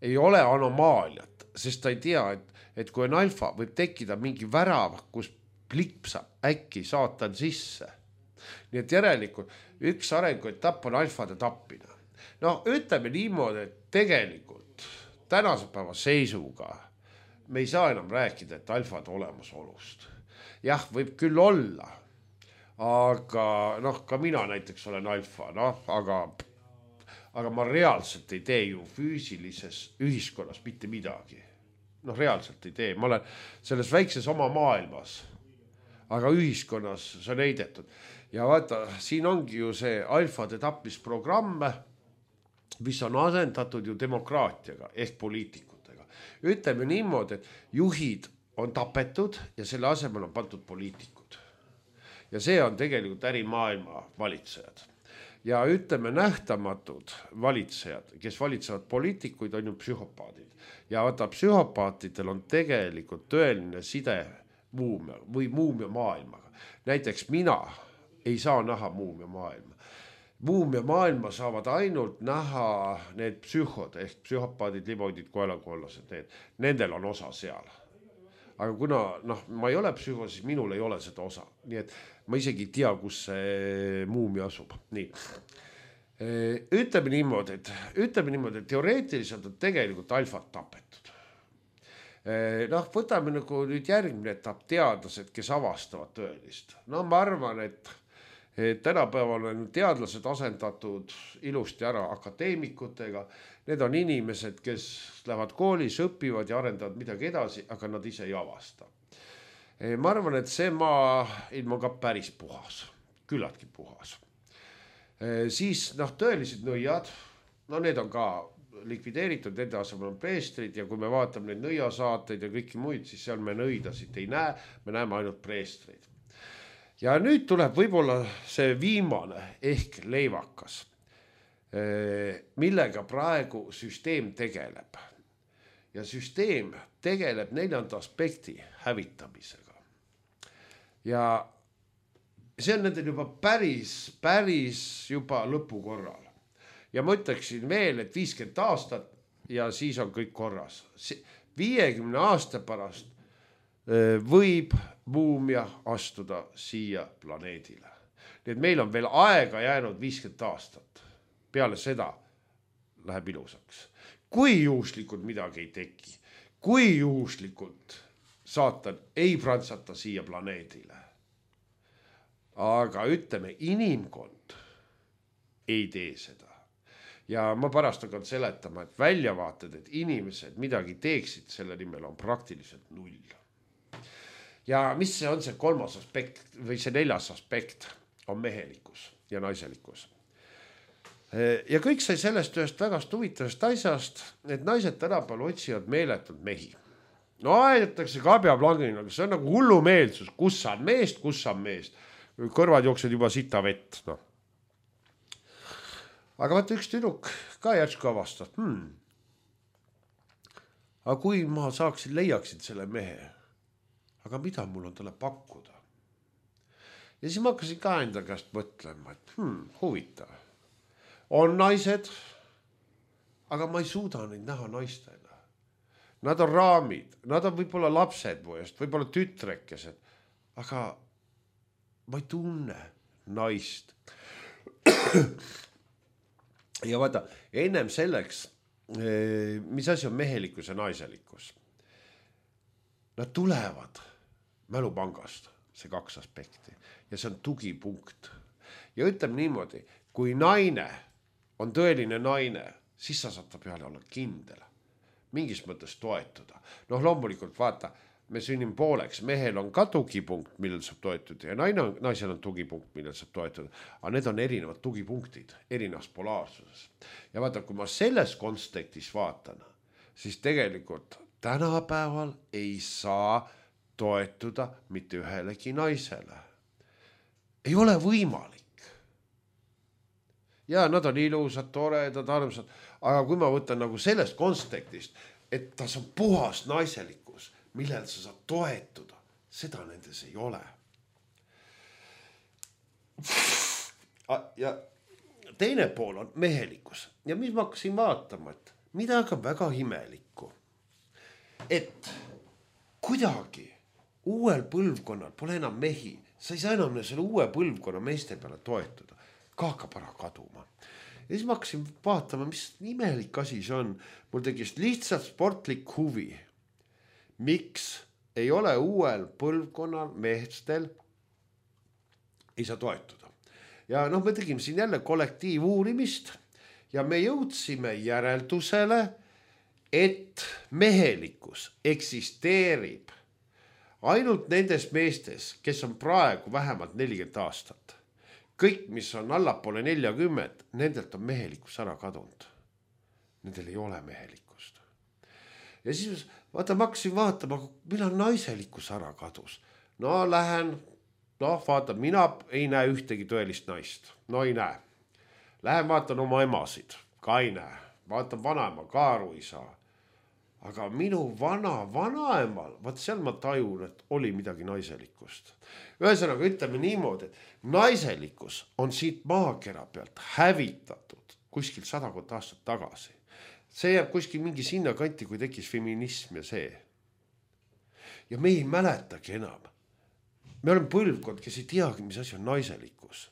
ei ole anomaaliat, sest ta ei tea, et, et kui on alfa, võib tekkida mingi värav, kus plipsab äkki saatan sisse. Nii et järelikult üks arenguetapp on alfade tappina. No ütleme niimoodi, et tegelikult tänase päeva seisuga me ei saa enam rääkida, et alfad olemasolust. Jah, võib küll olla, aga noh, ka mina näiteks olen alfa, noh, aga, aga ma reaalselt ei tee ju füüsilises ühiskonnas mitte midagi. Noh, reaalselt ei tee. Ma olen selles väikses oma maailmas, aga ühiskonnas see on heidetud. Ja vaata, siin ongi ju see alfade tapmisprogramm, mis on asendatud ju demokraatiaga ehk poliitikutega. Ütleme niimoodi, et juhid on tapetud ja selle asemel on pandud poliitikud. Ja see on tegelikult ärimaailma valitsejad. Ja ütleme nähtamatud valitsejad, kes valitsevad poliitikuid, on ju psühhopaadid. Ja vaata, psühhopaatidel on tegelikult tõeline side muumia või muumia maailmaga. Näiteks mina ei saa näha muumia maailma. Muumia maailma saavad ainult näha need psühhod ehk psühhopaadid, liboidid, koelakollased, need. Nendel on osa seal. Aga kuna noh, ma ei ole psühho, siis minul ei ole seda osa. Nii et ma isegi ei tea, kus see muumia asub. Nii. Ütleme niimoodi, et, ütleme niimoodi, et teoreetiliselt on tegelikult alfad tapetud. Noh, võtame nagu nüüd järgmine etapp teadlased, kes avastavad tõelist. No ma arvan, et, et tänapäeval on teadlased asendatud ilusti ära akadeemikutega. Need on inimesed, kes lähevad koolis, õpivad ja arendavad midagi edasi, aga nad ise ei avasta. Ma arvan, et see maailm on ka päris puhas, küllaltki puhas. Siis noh, tõelised nõiad, no need on ka likvideeritud, nende asemel on preestrid ja kui me vaatame neid nõiasaateid ja kõiki muid, siis seal me nõidasid ei näe, me näeme ainult preestrid. Ja nüüd tuleb võib-olla see viimane ehk leivakas, millega praegu süsteem tegeleb. Ja süsteem tegeleb neljanda aspekti hävitamisega. Ja see on nendel juba päris, päris juba lõpukorral. Ja ma ütleksin veel, et viiskümmend aastat ja siis on kõik korras. viiekümne aasta pärast võib muumia astuda siia planeedile. Nii et meil on veel aega jäänud viiskümmend aastat. Peale seda läheb ilusaks. Kui juhuslikult midagi ei teki, kui juhuslikult saatan ei prantsata siia planeedile. Aga ütleme, inimkond ei tee seda. Ja ma pärast hakkan seletama, et väljavaated, et inimesed midagi teeksid selle nimel on praktiliselt null. Ja mis see on see kolmas aspekt või see neljas aspekt on mehelikkus ja naiselikkus. Ja kõik sai sellest ühest vägast huvitavast asjast, et naised tänapäeval otsivad meeletud mehi. No aedatakse kabjaplangina, aga see on nagu hullumeelsus, kus on meest, kus on meest. Kõrvad jooksed juba sita vett. No. Aga vaata üks tüdruk ka järsku avastab. Hmm. Aga kui ma saaksin, leiaksin selle mehe, aga mida mul on talle pakkuda? Ja siis ma hakkasin ka enda käest mõtlema, et hmm, huvitav. On naised, aga ma ei suuda neid näha naistena. nad on raamid, nad on võib-olla lapsed mu eest, võib-olla tütrekesed, aga ma ei tunne naist. Ja vaata, ennem selleks, mis asi on mehelikkus ja naiselikkus? Nad tulevad mälupangast, see kaks aspekti, ja see on tugipunkt. Ja ütleme niimoodi, kui naine on tõeline naine, siis sa saad ta peale olla kindel, mingis mõttes toetuda. Noh, loomulikult vaata, me sünnime pooleks, mehel on ka tugipunkt, millel saab toetuda ja naine on, naisel on tugipunkt, millel saab toetuda, aga need on erinevad tugipunktid, erinevas polaarsuses. Ja vaata, kui ma selles kontekstis vaatan, siis tegelikult tänapäeval ei saa toetuda mitte ühelegi naisele. Ei ole võimalik. Ja nad on ilusad, toredad, armsad, aga kui ma võtan nagu sellest kontekstist, et tas on puhas naiselikkus, millel sa saad toetuda, seda nendes ei ole. Ja teine pool on mehelikkus. Ja mis ma hakkasin vaatama, et midagi on väga imelikku. Et kuidagi uuel põlvkonnal pole enam mehi, sa ei saa enam selle uue põlvkonna meeste peale toetuda, ka hakkab ära kaduma. Ja siis ma hakkasin vaatama, mis imelik asi see on. Mul tegis lihtsalt sportlik huvi. Miks ei ole uuel põlvkonnal meestel ei saa toetuda. Ja noh, me tegime siin jälle kollektiivuurimist ja me jõudsime järeldusele, et mehelikkus eksisteerib ainult nendes meestes, kes on praegu vähemalt nelikümmend aastat. Kõik, mis on allapoole neljakümmend, nendelt on mehelikkus ära kadunud. Nendel ei ole mehelikkust. Ja siis vaata, ma hakkasin vaatama, millal naiselikkus ära kadus. No lähen, noh vaata, mina ei näe ühtegi tõelist naist. No ei näe. Lähen vaatan oma emasid, ka ei näe. Vaatan vanaema, ka aru ei saa. Aga minu vana vanaemal, vaat seal ma tajun, et oli midagi naiselikkust. Ühesõnaga ütleme niimoodi, et naiselikkus on siit maakera pealt hävitatud kuskil sadakond aastat tagasi. See jääb kuskil mingi sinna kanti, kui tekkis feminism ja see. Ja me ei mäletagi enam. Me oleme põlvkond, kes ei teagi, mis asi on naiselikkus.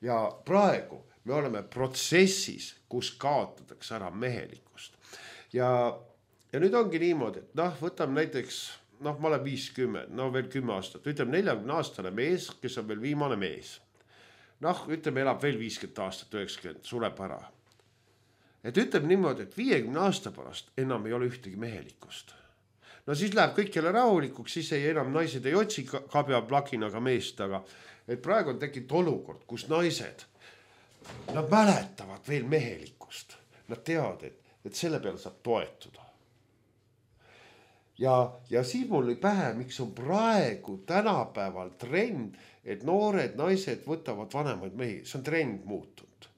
Ja praegu me oleme protsessis, kus kaotatakse ära mehelikkust. Ja Ja nüüd ongi niimoodi, et noh, võtame näiteks, noh, ma olen viiskümmend, no veel kümme aastat, ütleme neljakümne aastane mees, kes on veel viimane mees. Noh, ütleme, elab veel viiskümmend aastat, üheksakümmend, sureb ära. Et ütleme niimoodi, et viiekümne aasta pärast enam ei ole ühtegi mehelikkust. No siis läheb kõik jälle rahulikuks, siis ei enam naised ei otsi kabja plakinaga meest, aga et praegu on tekkinud olukord, kus naised, nad mäletavad veel mehelikkust. Nad teavad, et, et selle peale saab toetuda. Ja, ja siis mul oli pähe, miks on praegu tänapäeval trend, et noored naised võtavad vanemaid mehi. See on trend muutunud.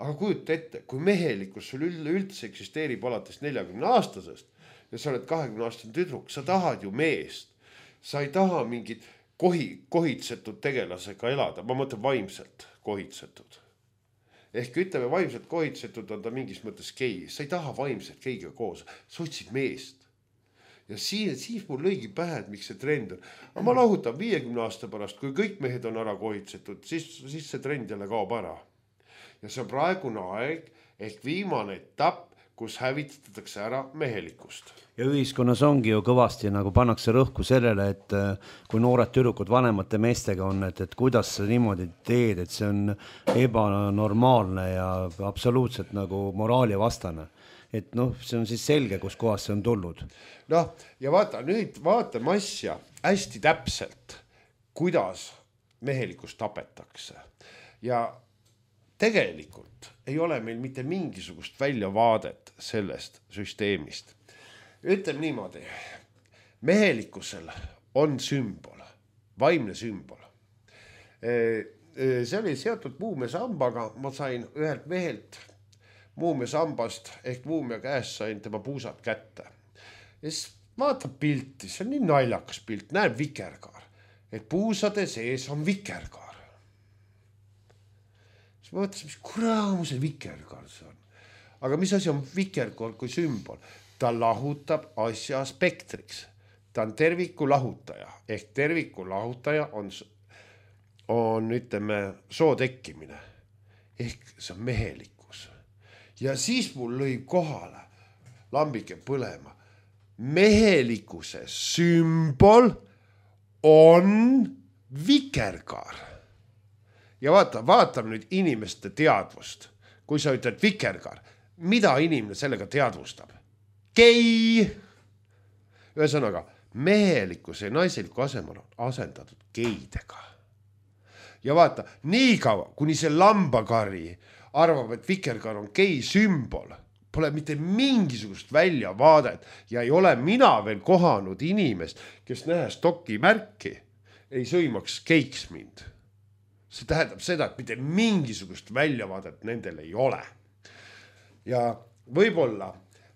Aga kujuta ette, kui mehelikkus sul üldse eksisteerib alates neljakümne aastasest ja sa oled kahekümne aastane tüdruk, sa tahad ju meest. Sa ei taha mingit kohi, kohitsetud tegelasega elada. Ma mõtlen vaimselt kohitsetud. Ehk ütleme, vaimselt kohitsetud on ta mingis mõttes gei. Sa ei taha vaimselt geiga koos. Sa otsid meest. Ja siis, siis mul lõigi pähe, et miks see trend on. Aga ma lahutan viiekümne aasta pärast, kui kõik mehed on ära kohitsetud, siis, siis see trend jälle kaob ära. Ja see on praegune aeg ehk viimane etapp, kus hävitatakse ära mehelikkust. Ja ühiskonnas ongi ju kõvasti nagu pannakse rõhku sellele, et kui noored tüdrukud vanemate meestega on, et, et kuidas sa niimoodi teed, et see on ebanormaalne ja absoluutselt nagu moraali vastane. Et noh, see on siis selge, kus kohas see on tulnud. Noh, ja vaata, nüüd vaatame asja hästi täpselt, kuidas mehelikkust tapetakse. Ja tegelikult ei ole meil mitte mingisugust väljavaadet sellest süsteemist. Ütleme niimoodi, mehelikkusel on sümbol, vaimne sümbol. See oli seotud muumesambaga, ma sain ühelt mehelt muumeasambast ehk muumia käest sain tema puusad kätte. Ja siis vaatab pilti, see on nii naljakas pilt, näeb vikerkaar, et puusade sees on vikerkaar. Siis ma mõtlesin, mis kuraamu see vikerkaar see on. Aga mis asi on vikerkaar kui sümbol? ta lahutab asja spektriks. Ta on terviku lahutaja ehk terviku lahutaja on, on ütleme soo tekkimine ehk see on mehelikkus. Ja siis mul lõi kohale lambike põlema. Mehelikkuse sümbol on vikerkaar. Ja vaata, vaatame nüüd inimeste teadvust. Kui sa ütled vikerkaar, mida inimene sellega teadvustab? Gei! Ühesõnaga, mehelikkuse ja naiseliku asemel on asendatud geidega. Ja vaata, nii kaua, kuni see lambakari arvab, et vikerkaar on gei sümbol, pole mitte mingisugust väljavaadet ja ei ole mina veel kohanud inimest, kes nähes doki märki, ei sõimaks geiks mind. See tähendab seda, et mitte mingisugust väljavaadet nendel ei ole. Ja võib-olla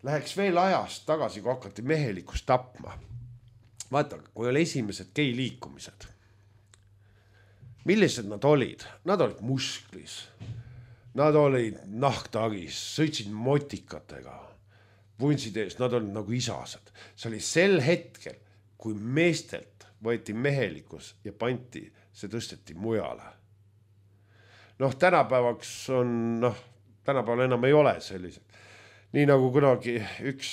läheks veel ajast tagasi, kui hakati mehelikust tapma. Vaata, kui oli esimesed gei liikumised. Millised nad olid? Nad olid musklis. Nad olid nahktagis, sõitsid motikatega, vuntsid ees, nad olid nagu isased. See oli sel hetkel, kui meestelt võeti mehelikkus ja panti, see tõsteti mujale. Noh, tänapäevaks on, noh, tänapäeval enam ei ole sellised. Nii nagu kunagi üks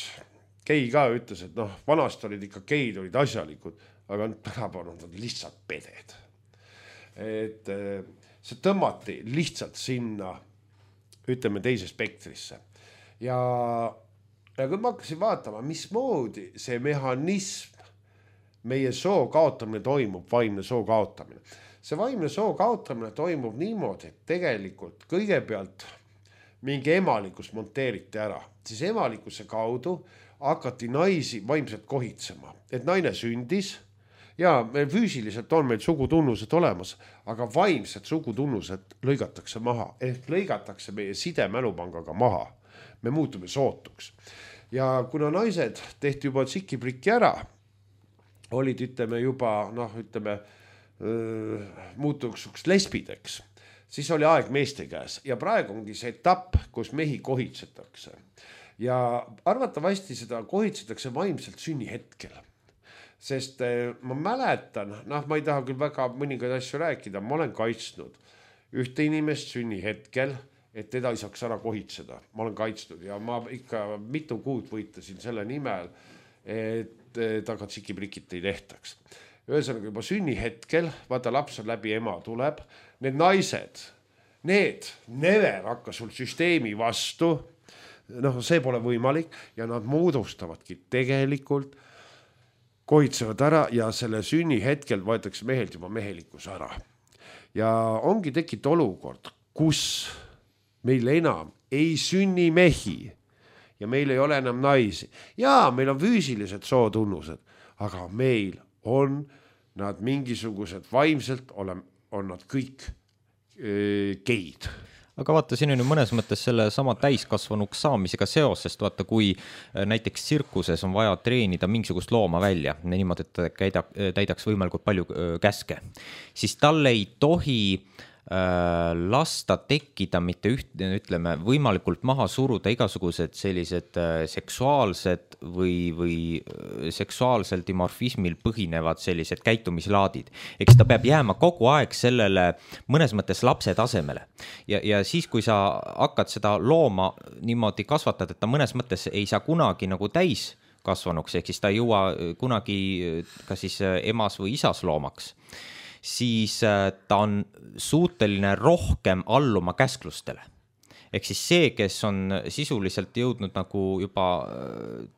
gei ka ütles, et noh, vanast olid ikka geid, olid asjalikud, aga tänapäeval on lihtsalt peded. Et see tõmmati lihtsalt sinna, ütleme, teise spektrisse. Ja, ja kui ma hakkasin vaatama, mismoodi see mehhanism, meie soo kaotamine toimub, vaimne soo kaotamine. See vaimne soo kaotamine toimub niimoodi, et tegelikult kõigepealt mingi emalikkus monteeriti ära. Siis emalikkuse kaudu hakati naisi vaimselt kohitsema, et naine sündis ja meil füüsiliselt on meil sugutunnused olemas, aga vaimsed sugutunnused lõigatakse maha, ehk lõigatakse meie sidemälupangaga maha. Me muutume sootuks. Ja kuna naised tehti juba tsikiprikki ära, olid ütleme juba, noh, ütleme, muutuks lesbideks, siis oli aeg meeste käes ja praegu ongi see etapp, kus mehi kohitsetakse. Ja arvatavasti seda kohitsetakse vaimselt sünni hetkel. Sest ma mäletan, noh, ma ei taha küll väga mõningaid asju rääkida, ma olen kaitsnud ühte inimest sünni hetkel, et teda ei saaks ära kohitseda. Ma olen kaitsnud ja ma ikka mitu kuud võitlesin selle nimel, et taga tsikiprikit ei tehtaks. Ühesõnaga juba sünni hetkel, vaata laps on läbi ema tuleb, need naised, need never hakka sul süsteemi vastu, noh, see pole võimalik ja nad moodustavadki tegelikult, kohitsevad ära ja selle sünni hetkel võetakse mehelt juba mehelikkus ära. Ja ongi tekit olukord, kus meil enam ei sünni mehi ja meil ei ole enam naisi. Ja meil on füüsilised sootunnused, aga meil on nad mingisugused vaimselt, on, on nad kõik e, geid. Aga vaata, siin on ju mõnes mõttes selle sama täiskasvanuks saamisega seos, sest vaata, kui näiteks tsirkuses on vaja treenida mingisugust looma välja, niimoodi, et käida, täidaks võimalikult palju käske, siis tal ei tohi lasta tekkida mitte üht, ütleme, võimalikult maha suruda igasugused sellised seksuaalsed või, või seksuaalsel dimorfismil põhinevad sellised käitumislaadid. Eks ta peab jääma kogu aeg sellele mõnes mõttes lapse tasemele. Ja, ja siis, kui sa hakkad seda looma niimoodi kasvatad, et ta mõnes mõttes ei saa kunagi nagu täis kasvanuks, ehk siis ta ei jõua kunagi ka siis emas või isas loomaks, siis ta on suuteline rohkem alluma käsklustele. Ehk siis see, kes on sisuliselt jõudnud nagu juba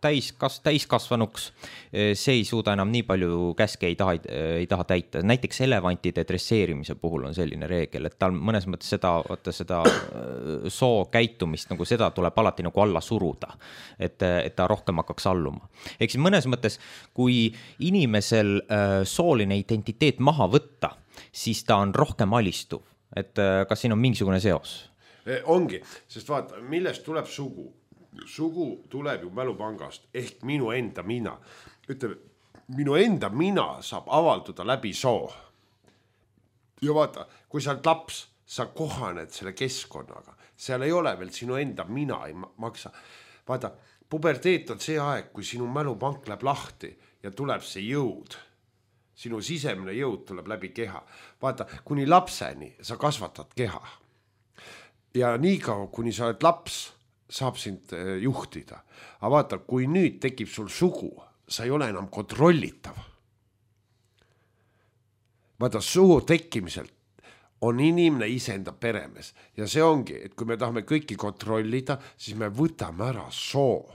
täis, kas, täiskasvanuks, see ei suuda enam nii palju käske ei taha, ei taha täita. Näiteks elevantide dresseerimise puhul on selline reegel, et tal mõnes mõttes seda, vaata, seda soo käitumist, nagu seda tuleb alati nagu alla suruda, et, et ta rohkem hakkaks alluma. Ehk siis mõnes mõttes, kui inimesel sooline identiteet maha võtta, siis ta on rohkem alistuv. Et kas siin on mingisugune seos? Ongi, sest vaata, millest tuleb sugu? Sugu tuleb ju mälupangast ehk minu enda mina. Ütleme, minu enda mina saab avalduda läbi soo. Ja vaata, kui sa oled laps, sa kohaned selle keskkonnaga. Seal ei ole veel sinu enda mina ei maksa. Vaata, puberteet on see aeg, kui sinu mälupank läheb lahti ja tuleb see jõud. Sinu sisemine jõud tuleb läbi keha. Vaata, kuni lapseni sa kasvatad keha. Ja nii kaua, kuni sa oled laps, saab sind juhtida. Aga vaata, kui nüüd tekib sul sugu, sa ei ole enam kontrollitav. Vaata, sugu tekkimiselt on inimene iseenda peremees ja see ongi, et kui me tahame kõiki kontrollida, siis me võtame ära soo.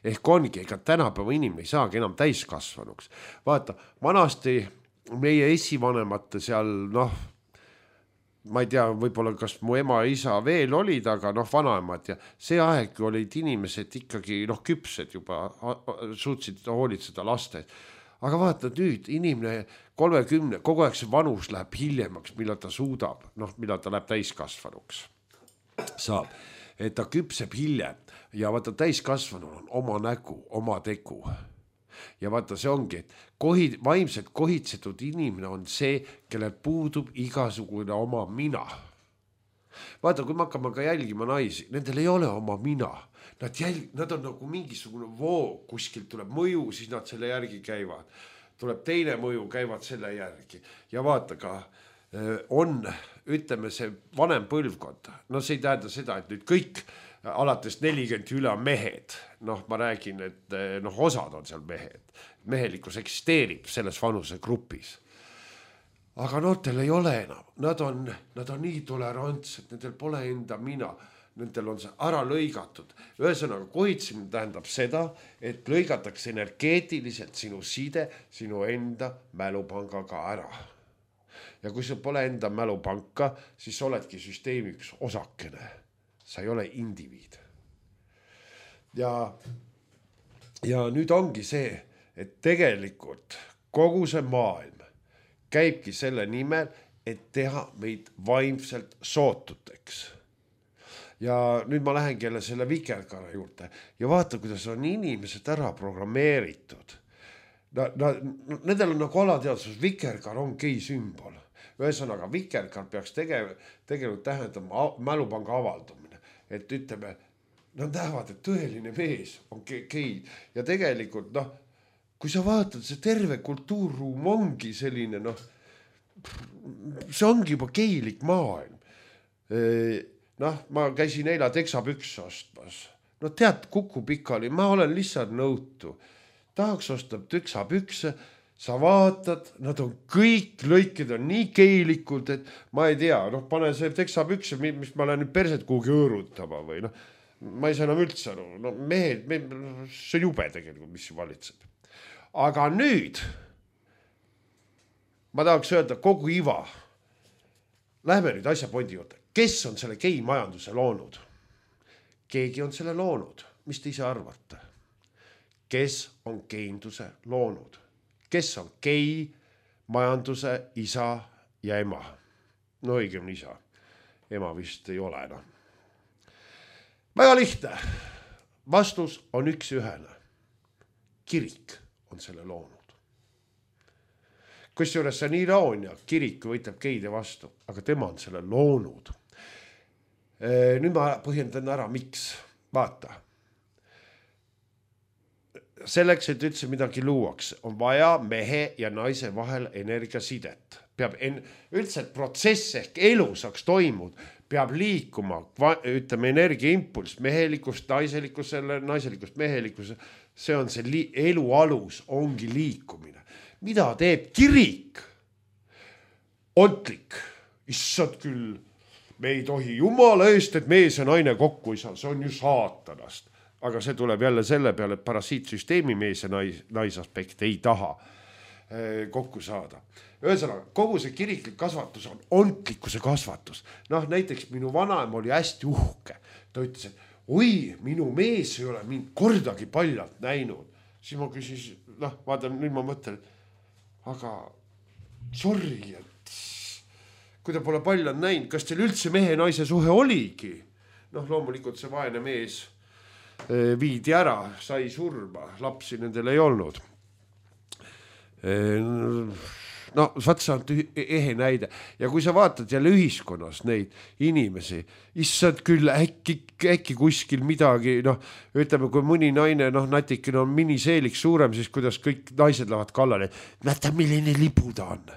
Ehk ongi, ega tänapäeva inimene ei saagi enam täiskasvanuks. Vaata, vanasti meie esivanemate seal, noh, ma ei tea, võib-olla kas mu ema ja isa veel olid, aga noh, vanaemad ja see aeg olid inimesed ikkagi noh, küpsed juba, suutsid hoolitseda laste. Aga vaata nüüd, inimene kolmekümne, kogu aeg see vanus läheb hiljemaks, millal ta suudab, noh, millal ta läheb täiskasvanuks. Saab, et ta küpseb hiljem ja vaata täiskasvanul on oma nägu, oma tegu. Ja vaata see ongi, et kohid, vaimselt kohitsetud inimene on see, kellel puudub igasugune oma mina. Vaata, kui me hakkame ka jälgima naisi, nendel ei ole oma mina. Nad, jälg, nad on nagu mingisugune voog, kuskilt tuleb mõju, siis nad selle järgi käivad. Tuleb teine mõju, käivad selle järgi. Ja vaata ka, on, ütleme see vanem põlvkond. No see ei tähenda seda, et nüüd kõik alates nelikümmend üle mehed. Noh, ma räägin, et noh, osad on seal mehed. Mehelikkus eksisteerib selles vanuse grupis. Aga noortel ei ole enam. Nad on, nad on nii tolerantsed, nendel pole enda mina. Nendel on see ära lõigatud. Ühesõnaga, kohitsemine tähendab seda, et lõigatakse energeetiliselt sinu side, sinu enda mälupangaga ära. Ja kui sul pole enda mälupanka, siis oledki süsteemi üks osakene. Sa ei ole indiviid. Ja, ja nüüd ongi see, et tegelikult kogu see maailm käibki selle nimel, et teha meid vaimselt sootuteks. Ja nüüd ma lähengi jälle selle vikerkaare juurde ja vaata, kuidas on inimesed ära programmeeritud. Na, na, nendel on nagu alateadsus, vikerkaar on gei sümbol. Ühesõnaga, vikerkaar peaks tege, tegelikult tähendama mälupanga avaldumine. Et ütleme, nad näevad, et tõeline mees on gei. Ja tegelikult, noh, kui sa vaatad, see terve kultuurruum ongi selline, noh, see ongi juba geilik maailm. Noh, ma käisin eila teksapüks ostmas. No tead, kuku pikali, ma olen lihtsalt nõutu. Tahaks osta teksapükse, sa vaatad, nad on kõik lõikid on nii keilikud, et ma ei tea, noh, pane see teksapükse, mis ma lähen nüüd perset kuhugi õõrutama või noh, ma ei saa enam üldse aru. No mehed, me, see on jube tegelikult, mis valitseb. Aga nüüd ma tahaks öelda kogu iva. Lähme nüüd asja pointi juurde. Kes on selle gei majanduse loonud? Keegi on selle loonud. Mis te ise arvate? Kes on geinduse loonud? Kes on gei majanduse isa ja ema? No õigem isa. Ema vist ei ole enam. Väga lihtne. Vastus on üks ühene. Kirik on selle loonud. Kusjuures see on iroonia. Kirik võitleb geide vastu, aga tema on selle loonud. Nüüd ma põhjendan ära, miks. Vaata. Selleks, et üldse midagi luuaks, on vaja mehe ja naise vahel energiasidet. Peab en... üldse protsess ehk elu saaks toimud, peab liikuma, ütleme, energiaimpuls, mehelikust naiselikusele, naiselikust mehelikuse. See on see li... elu alus, ongi liikumine. Mida teeb kirik? Ontlik. Issad küll. Me ei tohi jumala eest, et mees ja naine kokku ei saa. See on ju saatanast. Aga see tuleb jälle selle peale, et parasiitsüsteemi mees ja nais, naisaspekt ei taha kokku saada. Ühesõnaga, kogu see kiriklik kasvatus on ontlikkuse kasvatus. Noh, näiteks minu vanaema oli hästi uhke. Ta ütles, et oi, minu mees ei ole mind kordagi paljalt näinud. Siis ma küsis, noh, vaata, nüüd ma mõtlen, aga sorry, et kui ta pole paljalt näinud, kas teil üldse mehe ja naise suhe oligi? Noh, loomulikult see vaene mees viidi ära, sai surma, lapsi nendel ei olnud. no vaat see on ehe näide ja kui sa vaatad jälle ühiskonnas neid inimesi, issand küll äkki, äkki kuskil midagi, noh, ütleme, kui mõni naine, noh, natikene on miniseelik suurem, siis kuidas kõik naised lähevad kallale, näeta, milline lipu ta on.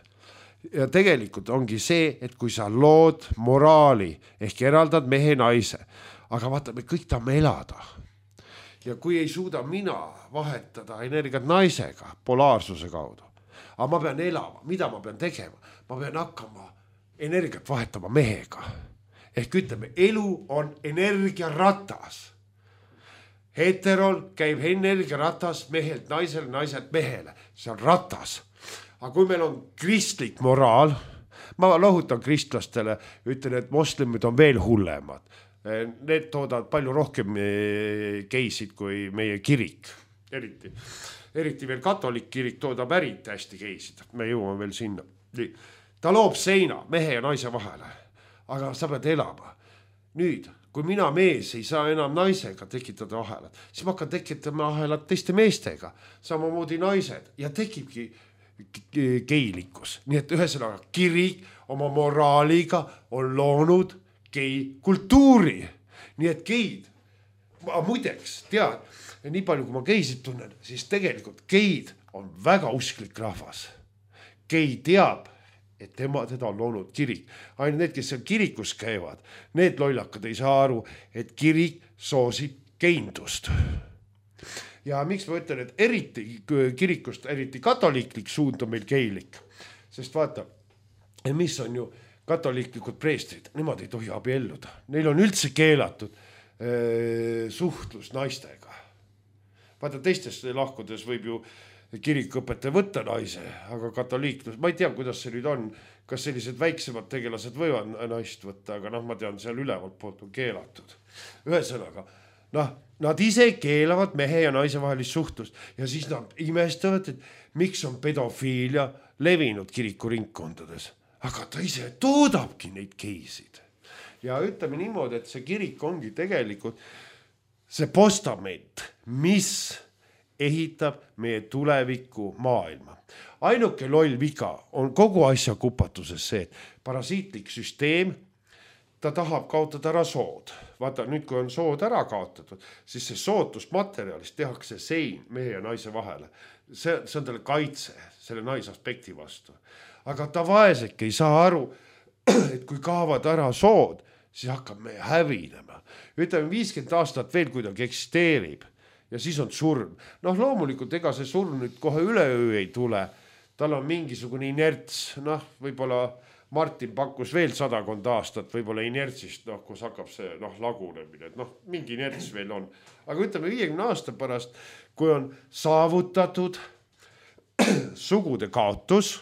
Ja tegelikult ongi see, et kui sa lood moraali ehk eraldad mehe naise, aga vaata, me kõik tahame elada. Ja kui ei suuda mina vahetada energiat naisega polaarsuse kaudu, aga ma pean elama, mida ma pean tegema? Ma pean hakkama energiat vahetama mehega. Ehk ütleme, elu on energiaratas. Heterol käib energiaratas mehelt naisele, naiselt mehele. See on ratas. Aga kui meil on kristlik moraal, ma lohutan kristlastele, ütlen, et moslemid on veel hullemad. Need toodavad palju rohkem geisid kui meie kirik. Eriti, eriti veel katolik kirik toodab ärit hästi geisid. Me jõuame veel sinna. Ta loob seina mehe ja naise vahele, aga sa pead elama. Nüüd, kui mina mees ei saa enam naisega tekitada ahelat, siis ma hakkan tekitama ahelat teiste meestega, samamoodi naised ja tekibki geilikkus. Nii et ühesõnaga kirik oma moraaliga on loonud gei kultuuri. Nii et geid, ma muideks tead, nii palju kui ma geisid tunnen, siis tegelikult geid on väga usklik rahvas. Gei teab, et tema, teda on loonud kirik. Ainult need, kes seal kirikus käivad, need lollakad ei saa aru, et kirik soosib geindust. Ja miks ma ütlen, et eriti kirikust, eriti katoliiklik suund on meil geilik. Sest vaata, mis on ju katoliiklikud preestrid, nemad ei tohi abielluda. Neil on üldse keelatud äh, suhtlus naistega. Vaata, teistes lahkudes võib ju kirikõpetaja võtta naise, aga katoliiklus, ma ei tea, kuidas see nüüd on, kas sellised väiksemad tegelased võivad naist võtta, aga noh, ma tean, seal ülevalt poolt on keelatud. Ühesõnaga, noh, nad ise keelavad mehe ja naise vahelist suhtlust ja siis nad imestavad, et miks on pedofiilia levinud kirikuringkondades. Aga ta ise toodabki neid geisid. Ja ütleme niimoodi, et see kirik ongi tegelikult see postament, mis ehitab meie tuleviku maailma. Ainuke loll viga on kogu asja kupatuses see, et parasiitlik süsteem, ta tahab kaotada ära sood. Vaata, nüüd kui on sood ära kaotatud, siis see sootusmaterjalist tehakse sein mehe ja naise vahele. See, see on talle kaitse selle naisaspekti vastu. Aga ta vaesek ei saa aru, et kui kaovad ära sood, siis hakkab meie hävinema. Ütleme, viiskümmend aastat veel kuidagi eksisteerib ja siis on surm. Noh, loomulikult ega see surm nüüd kohe üleöö ei tule. Tal on mingisugune inerts, noh, võib-olla Martin pakkus veel sadakond aastat, võib-olla inertsist, noh, kus hakkab see noh, lagunemine, et noh, mingi inerts veel on. Aga ütleme viiekümne aasta pärast, kui on saavutatud sugude kaotus,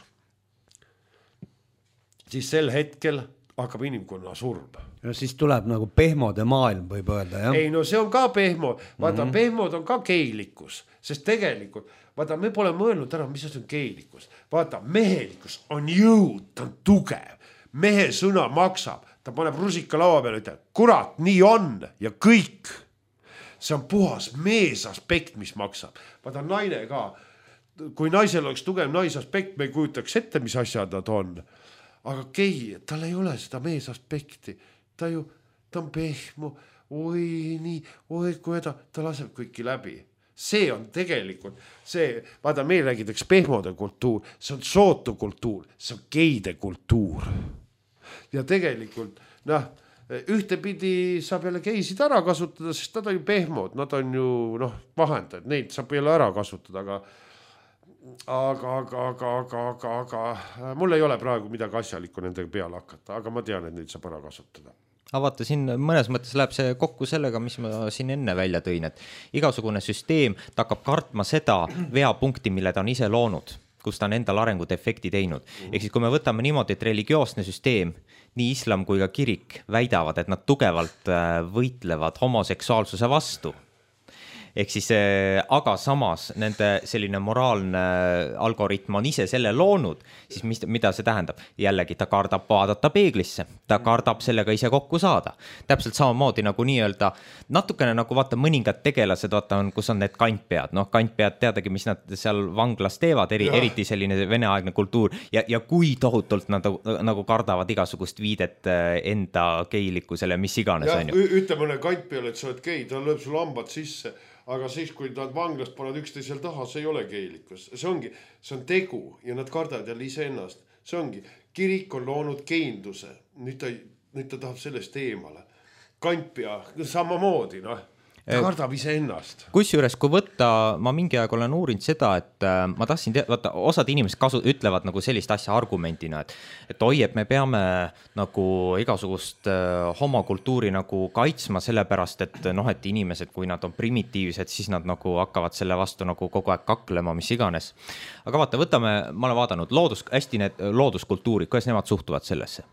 siis sel hetkel hakkab inimkonna surm. Ja siis tuleb nagu pehmode maailm, võib öelda, jah? Ei, no see on ka pehmo. Vaata, mm-hmm. pehmod on ka geilikkus, sest tegelikult, vaata, me pole mõelnud ära, mis on geilikkus. Vaata, mehelikkus on jõud, ta on tugev. Mehe sõna maksab, ta paneb rusika laua peale, ütleb, kurat, nii on ja kõik. See on puhas mees aspekt, mis maksab. Vaata, naine ka. Kui naisel oleks tugev naisaspekt, me ei kujutaks ette, mis asjad nad on. Aga gei, tal ei ole seda mees aspekti. Ta ju, ta on pehmo, oi nii, oi kui ta, ta laseb kõiki läbi. See on tegelikult, see, vaata, meil räägitakse pehmode kultuur, see on sootu kultuur, see on geide kultuur. Ja tegelikult, noh, ühtepidi saab jälle geisid ära kasutada, sest nad on ju pehmod, nad on ju, noh, vahendajad, neid saab jälle ära kasutada, aga Aga, aga, aga, aga, aga, aga mul ei ole praegu midagi asjalikku nendega peale hakata, aga ma tean, et neid saab ära kasutada. Aga vaata, siin mõnes mõttes läheb see kokku sellega, mis ma siin enne välja tõin, et igasugune süsteem ta hakkab kartma seda veapunkti, mille ta on ise loonud, kus ta on endal arengut efekti teinud. Ehk siis, kui me võtame niimoodi, et religioosne süsteem, nii islam kui ka kirik väidavad, et nad tugevalt võitlevad homoseksuaalsuse vastu, ehk siis, aga samas nende selline moraalne algoritm on ise selle loonud, siis mis, mida see tähendab? Jällegi ta kardab vaadata peeglisse, ta kardab sellega ise kokku saada. Täpselt samamoodi nagu nii-öelda, natukene nagu vaata mõningad tegelased, vaata on, kus on need kantpead, noh kantpead teadagi, mis nad seal vanglas teevad, eri, eriti selline veneaegne kultuur ja, ja kui tohutult nad nagu kardavad igasugust viidet enda geilikkusele, mis iganes ja, on ju. Ütle mõne kant peale, et sa oled gei, ta lööb sul hambad sisse, aga siis, kui nad vanglast pannud üksteisel taha, see ei ole geilikkus. See ongi, see on tegu ja nad kardavad jälle ise ennast. See ongi, kirik on loonud geinduse, nüüd ta, nüüd ta tahab sellest eemale. Kantpea, samamoodi, noh. Ta kardab ise ennast. Kusjuures, kui võtta, ma mingi aeg olen uurinud seda, et äh, ma tahtsin teada, vaata, osad inimesed kasu, ütlevad nagu sellist asja argumentina, et, et oi, et me peame nagu igasugust äh, homokultuuri nagu kaitsma sellepärast, et noh, et inimesed, kui nad on primitiivsed, siis nad nagu hakkavad selle vastu nagu kogu aeg kaklema, mis iganes. Aga vaata, võtame, ma olen vaadanud loodus, hästi need looduskultuurid, kuidas nemad suhtuvad sellesse.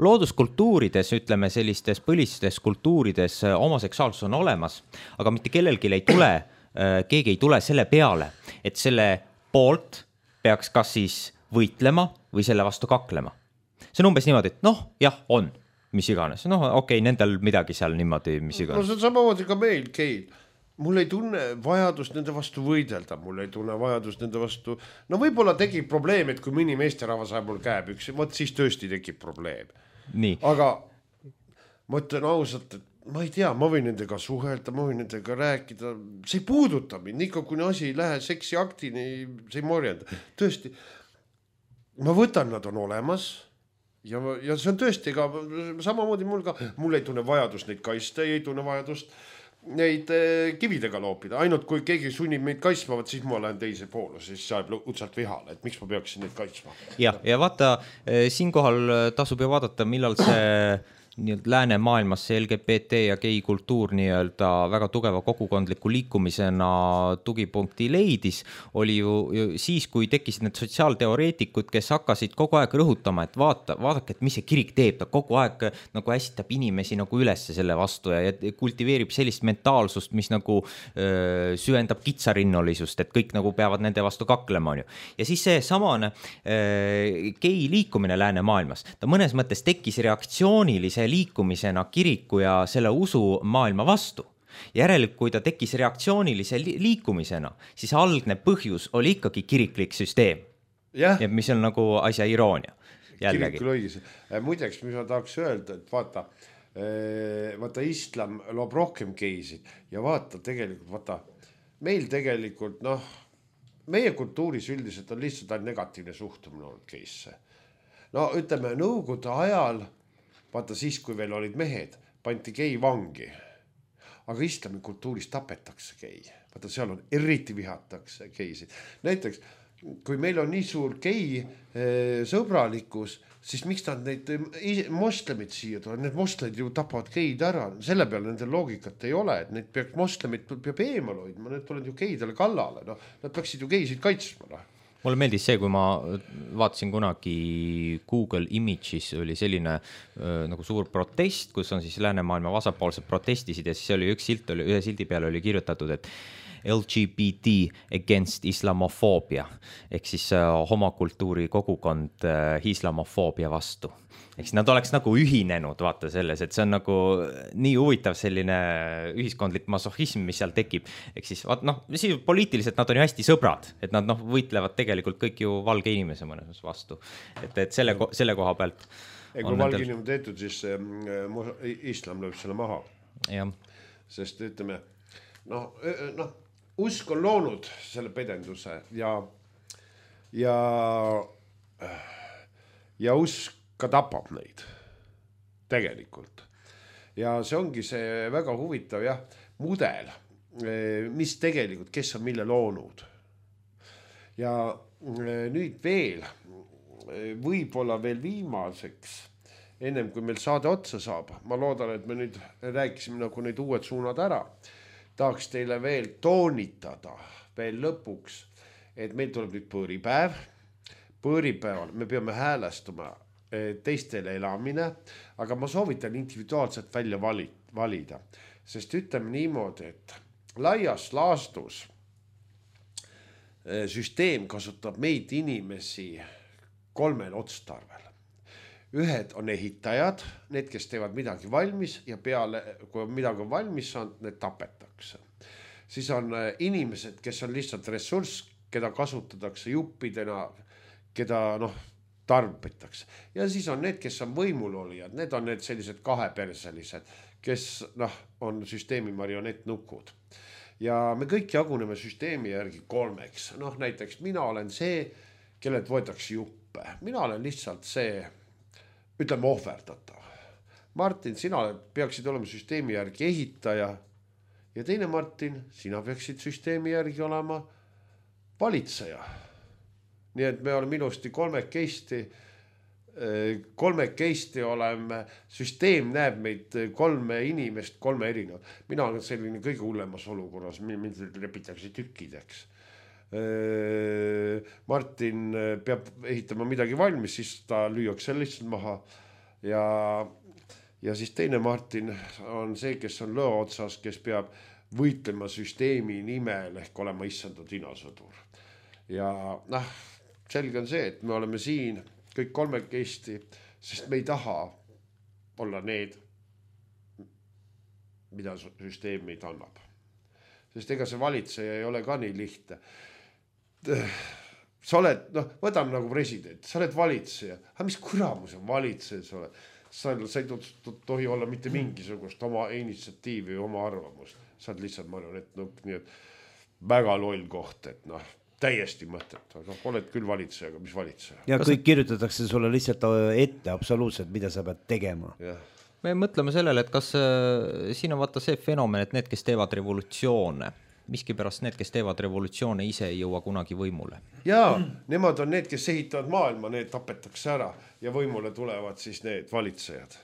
Looduskultuurides, ütleme sellistes põlistes kultuurides homoseksuaalsus on olemas, aga mitte kellelgi ei tule, keegi ei tule selle peale, et selle poolt peaks kas siis võitlema või selle vastu kaklema. See on umbes niimoodi, et noh, jah, on, mis iganes. Noh, okei, okay, nendel midagi seal niimoodi, mis iganes. No see on samamoodi ka meil, geil. Mul ei tunne vajadust nende vastu võidelda, mul ei tunne vajadust nende vastu. No võib-olla tekib probleem, et kui mõni meesterahvas ajab mul käeb üks, võt siis tõesti tekib probleem. Nii. Aga ma ütlen ausalt, et ma ei tea, ma võin nendega suhelda, ma võin nendega rääkida, see ei puuduta mind, ikka kui asi ei lähe seksi aktini, see ei morjenda. Tõesti, ma võtan, nad on olemas ja, ja see on tõesti ka samamoodi mul ka, mul ei tunne vajadust neid kaista, ei tunne vajadust neid kividega loopida, ainult kui keegi sunnib meid kaitsma, siis ma olen teise poole, siis saab utsalt vihale, et miks ma peaksin neid kaitsma. Ja, ja vaata, siinkohal tasub ju vaadata, millal see lääne maailmas see L G B T ja gei kultuur nii-öelda väga tugeva kogukondliku liikumisena tugipunkti leidis, oli ju, ju siis, kui tekkisid need sotsiaalteoreetikud, kes hakkasid kogu aeg rõhutama, et vaata, vaadake, et mis see kirik teeb, ta kogu aeg nagu äsitab inimesi nagu ülesse selle vastu ja, ja kultiveerib sellist mentaalsust, mis nagu öö, süvendab kitsarinnolisust, et kõik nagu peavad nende vastu kaklema, on ju. Ja siis see samane öö, gei liikumine lääne maailmas, ta mõnes mõttes tekkis reaktsioonilise liikumisena kiriku ja selle usu maailma vastu. Järelikult, kui ta tekkis reaktsioonilise liikumisena, siis algne põhjus oli ikkagi kiriklik süsteem. Ja, ja mis on nagu asja iroonia. Jällegi. Kirikul õigis. Muideks, mis ma tahaks öelda, et vaata, vaata islam loob rohkem geisid ja vaata tegelikult, vaata, meil tegelikult, noh, meie kultuuris üldiselt on lihtsalt ainult negatiivne suhtumine olnud geisse. No ütleme, nõukogude ajal vaata siis, kui veel olid mehed, panti gei vangi. Aga islami kultuuris tapetakse gei. Vaata, seal on eriti vihatakse geisid. Näiteks, kui meil on nii suur gei eh, sõbralikkus, siis miks nad neid moslemid siia tulevad? Need moslemid ju tapavad geid ära. Selle peale nende loogikat ei ole, et neid peaks moslemid peab eemal hoidma. Need tulevad ju geidele kallale. No, nad peaksid ju geisid kaitsma. No. Mulle meeldis see, kui ma vaatasin kunagi Google Images, oli selline äh, nagu suur protest, kus on siis läänemaailma vasakpoolsed protestisid ja siis oli üks silt, oli, ühe sildi peale oli kirjutatud, et L G B T against islamofoobia, ehk siis äh, homokultuuri kogukond äh, islamofoobia vastu. Eks nad oleks nagu ühinenud, vaata selles, et see on nagu nii huvitav selline ühiskondlik masohism, mis seal tekib. Eks siis, vaat, noh, siis poliitiliselt nad on ju hästi sõbrad, et nad noh, võitlevad tegelikult kõik ju valge inimese mõnes vastu. Et, et selle, selle koha pealt. Ja kui valge inimene tehtud, siis äh, islam lööb selle maha. Ja. Sest ütleme, noh, noh, usk on loonud selle pedenduse ja, ja, ja usk ka tapab neid tegelikult. Ja see ongi see väga huvitav jah, mudel, mis tegelikult, kes on mille loonud. Ja nüüd veel, võib-olla veel viimaseks, ennem kui meil saade otsa saab, ma loodan, et me nüüd rääkisime nagu need uued suunad ära, tahaks teile veel toonitada veel lõpuks, et meil tuleb nüüd põõripäev. Põõripäeval me peame häälestuma teistele elamine, aga ma soovitan individuaalselt välja valida, sest ütleme niimoodi, et laias laastus süsteem kasutab meid inimesi kolmel otstarvel. Ühed on ehitajad, need, kes teevad midagi valmis ja peale, kui midagi on valmis saanud, need tapetakse. Siis on inimesed, kes on lihtsalt ressurss, keda kasutatakse juppidena, keda noh, tarbitakse. Ja siis on need, kes on võimulolijad, need on need sellised kaheperselised, kes noh, on süsteemi marionettnukud. Ja me kõik jaguneme süsteemi järgi kolmeks. Noh, näiteks mina olen see, kellelt võetakse juppe. Mina olen lihtsalt see, ütleme, ohverdatav. Martin, sina peaksid olema süsteemi järgi ehitaja. Ja teine Martin, sina peaksid süsteemi järgi olema valitseja. Nii et me oleme ilusti kolmekesti, kolmekesti oleme, süsteem näeb meid kolme inimest, kolme erinevat. Mina olen selline kõige hullemas olukorras, mind lepitakse tükkideks. Martin peab ehitama midagi valmis, siis ta lüüakse lihtsalt maha. Ja, ja siis teine Martin on see, kes on lõo otsas, kes peab võitlema süsteemi nimel ehk olema issandud inasõdur. Ja noh, selge on see, et me oleme siin kõik kolmekesti, sest me ei taha olla need, mida süsteem meid annab. Sest ega see valitseja ei ole ka nii lihtne. Sa oled, noh, võtame nagu president, sa oled valitseja. Aga mis kuramus on valitseja sa oled? Sa, sa ei tohi olla mitte mingisugust oma initsiatiivi või oma arvamust. Sa oled lihtsalt marionettnukk, nii et väga loll koht, et noh, täiesti mõtet, aga oled küll valitseja, aga mis valitseja? Ja kõik kirjutatakse sulle lihtsalt ette absoluutselt, mida sa pead tegema. Ja. Me mõtleme sellele, et kas äh, siin on vaata see fenomen, et need, kes teevad revolutsioone, miski pärast need, kes teevad revolutsioone, ise ei jõua kunagi võimule. Jaa, nemad on need, kes ehitavad maailma, need tapetakse ära ja võimule tulevad siis need valitsejad.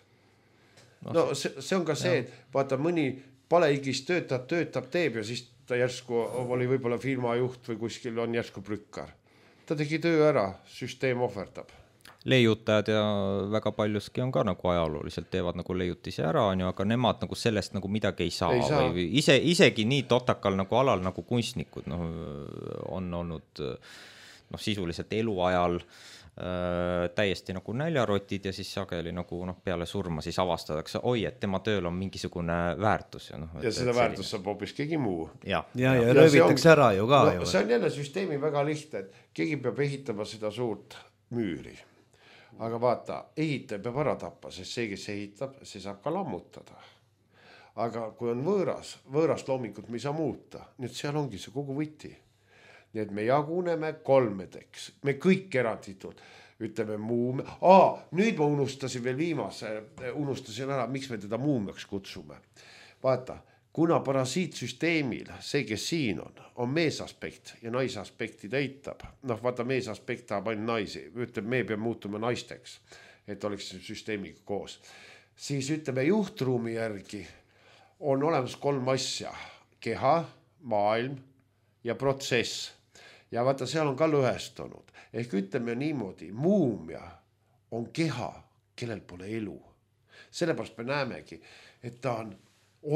No see, see on ka see, et vaata mõni paleigis töötab, töötab, teeb ja siis ta järsku oli võib-olla firma juht või kuskil on järsku prükkar. Ta tegi töö ära, süsteem ohverdab. Leiutajad ja väga paljuski on ka nagu ajalooliselt teevad nagu leiutisi ära, on ju, aga nemad nagu sellest nagu midagi ei saa, ei saa. Või ise, isegi nii totakal nagu alal nagu kunstnikud no, on olnud no, sisuliselt eluajal äh, täiesti nagu näljarotid ja siis sageli nagu noh, peale surma siis avastatakse, oi, et tema tööl on mingisugune väärtus. Ja, no, ja seda väärtus saab hoopis keegi muu. Ja, ja, ja, ja röövitakse ära ju ka. No, see on jälle süsteemi väga lihtne, et keegi peab ehitama seda suurt müüri. Aga vaata, ehitaja peab ära tappa, sest see, kes ehitab, see saab ka lammutada. Aga kui on võõras, võõrast loomingut me ei saa muuta, nii et seal ongi see kogu võti. Nii et me jaguneme kolmedeks, me kõik eranditult, ütleme muumia. Aa, nüüd ma unustasin veel viimase, unustasin ära, miks me teda muumiaks kutsume. Vaata, kuna parasiitsüsteemil, see, kes siin on, on meesaspekt ja naisaspekti täitab. Noh, vaata, meesaspekt tahab ainult naisi, ütleb, me peab muutuma naisteks, et oleks süsteemiga koos. Siis ütleme, juhtruumi järgi on olemas kolm asja, keha, maailm ja protsess. Ja vaata, seal on ka lõhestunud. Ehk ütleme niimoodi, muumia on keha, kellel pole elu. Sellepärast me näemegi, et ta on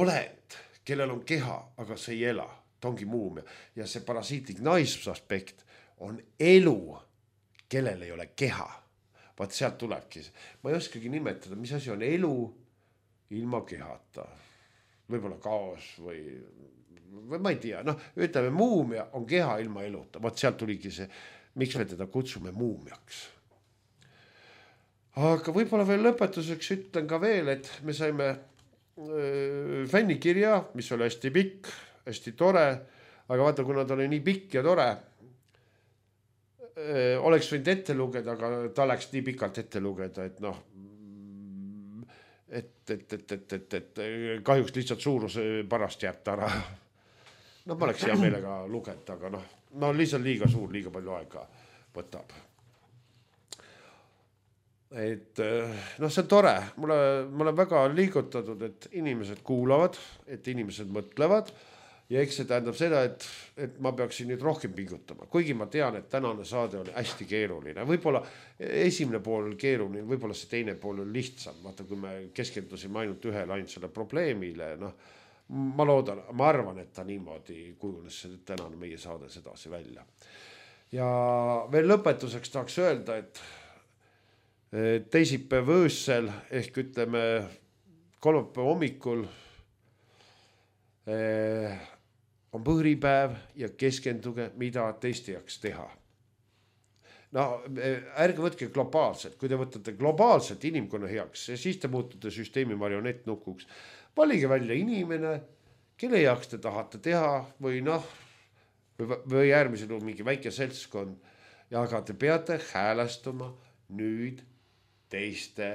olend, kellel on keha, aga see ei ela. Ta ongi muumia. Ja see parasiitlik naisaspekt on elu, kellel ei ole keha. Vaat sealt tulebki. Ma ei oskagi nimetada, mis asi on elu ilma kehata. Võib-olla kaos või, või ma ei tea. Noh, ütleme, muumia on keha ilma eluta. Vaat sealt tuligi see, miks me teda kutsume muumiaks. Aga võib-olla veel lõpetuseks ütlen ka veel, et me saime fännikirja, mis oli hästi pikk, hästi tore, aga vaata, kuna ta oli nii pikk ja tore, oleks võinud ette lugeda, aga ta läks nii pikalt ette lugeda, et noh, et, et, et, et, et, et kahjuks lihtsalt suuruse pärast jääb ta ära. No ma oleks hea meelega lugeda, aga noh, no lihtsalt liiga suur, liiga palju aega võtab. Et noh, see on tore, mulle, mulle väga liigutatud, et inimesed kuulavad, et inimesed mõtlevad ja eks see tähendab seda, et, et ma peaksin nüüd rohkem pingutama, kuigi ma tean, et tänane saade oli hästi keeruline, võib-olla esimene pool keeruline, võib-olla see teine pool oli lihtsam, vaata kui me keskendusime ainult ühele ainult selle probleemile, noh, ma loodan, ma arvan, et ta niimoodi kujunes see tänane meie saade sedasi välja. Ja veel lõpetuseks tahaks öelda, et teisipäev öössel ehk ütleme kolmapäeva hommikul on põhripäev ja keskenduge, mida teiste jaoks teha. No ärge võtke globaalselt, kui te võtate globaalselt inimkonna heaks, siis te muutute süsteemi marionettnukuks. Valige välja inimene, kelle jaoks te tahate teha või noh, või äärmisel juhul mingi väike seltskond, ja aga te peate häälestuma nüüd teiste,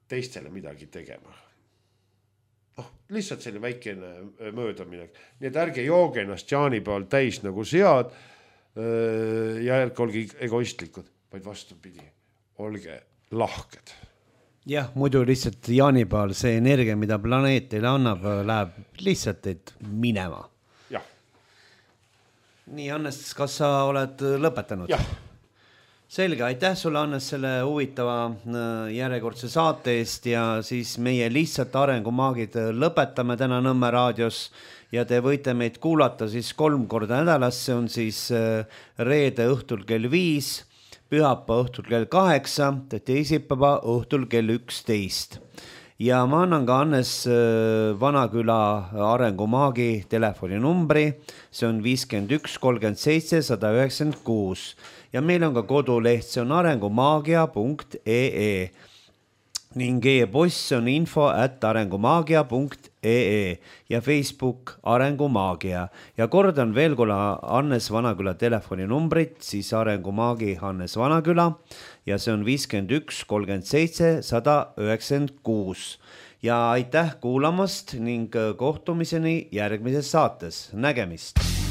teistele midagi tegema. Oh, lihtsalt selline väikene möödamine. Nii et ärge jooge ennast jaanipäeval täis nagu sead ja ärge olge egoistlikud, vaid vastupidi, olge lahked. Jah, muidu lihtsalt jaanipäeval see energia, mida planeet teile annab, läheb lihtsalt teid minema. Jah. Nii, Hannes, kas sa oled lõpetanud? Jah. Selge, aitäh sulle, Hannes, selle huvitava järjekordse saate eest ja siis meie lihtsalt arengumaagid lõpetame täna Nõmme raadios ja te võite meid kuulata siis kolm korda nädalas, see on siis reede õhtul kell viis, pühapa õhtul kell kaheksa, teisipäeva õhtul kell üksteist. Ja ma annan ka Hannes Vanaküla arengumaagi telefoninumbri, see on viiskümmend üks kolmkümmend seitse sada üheksakümmend kuus ja meil on ka koduleht, see on arengumaagia punkt ee ning e-post on info at arengumaagia punkt ee ja Facebook Arengumaagia. Ja kordan veel korra Hannes Vanaküla telefoninumbrit, siis arengumaagi Hannes Vanaküla ja see on viiskümmend üks kolmkümmend seitse sada üheksakümmend kuus. Ja aitäh kuulamast ning kohtumiseni järgmises saates. Nägemist!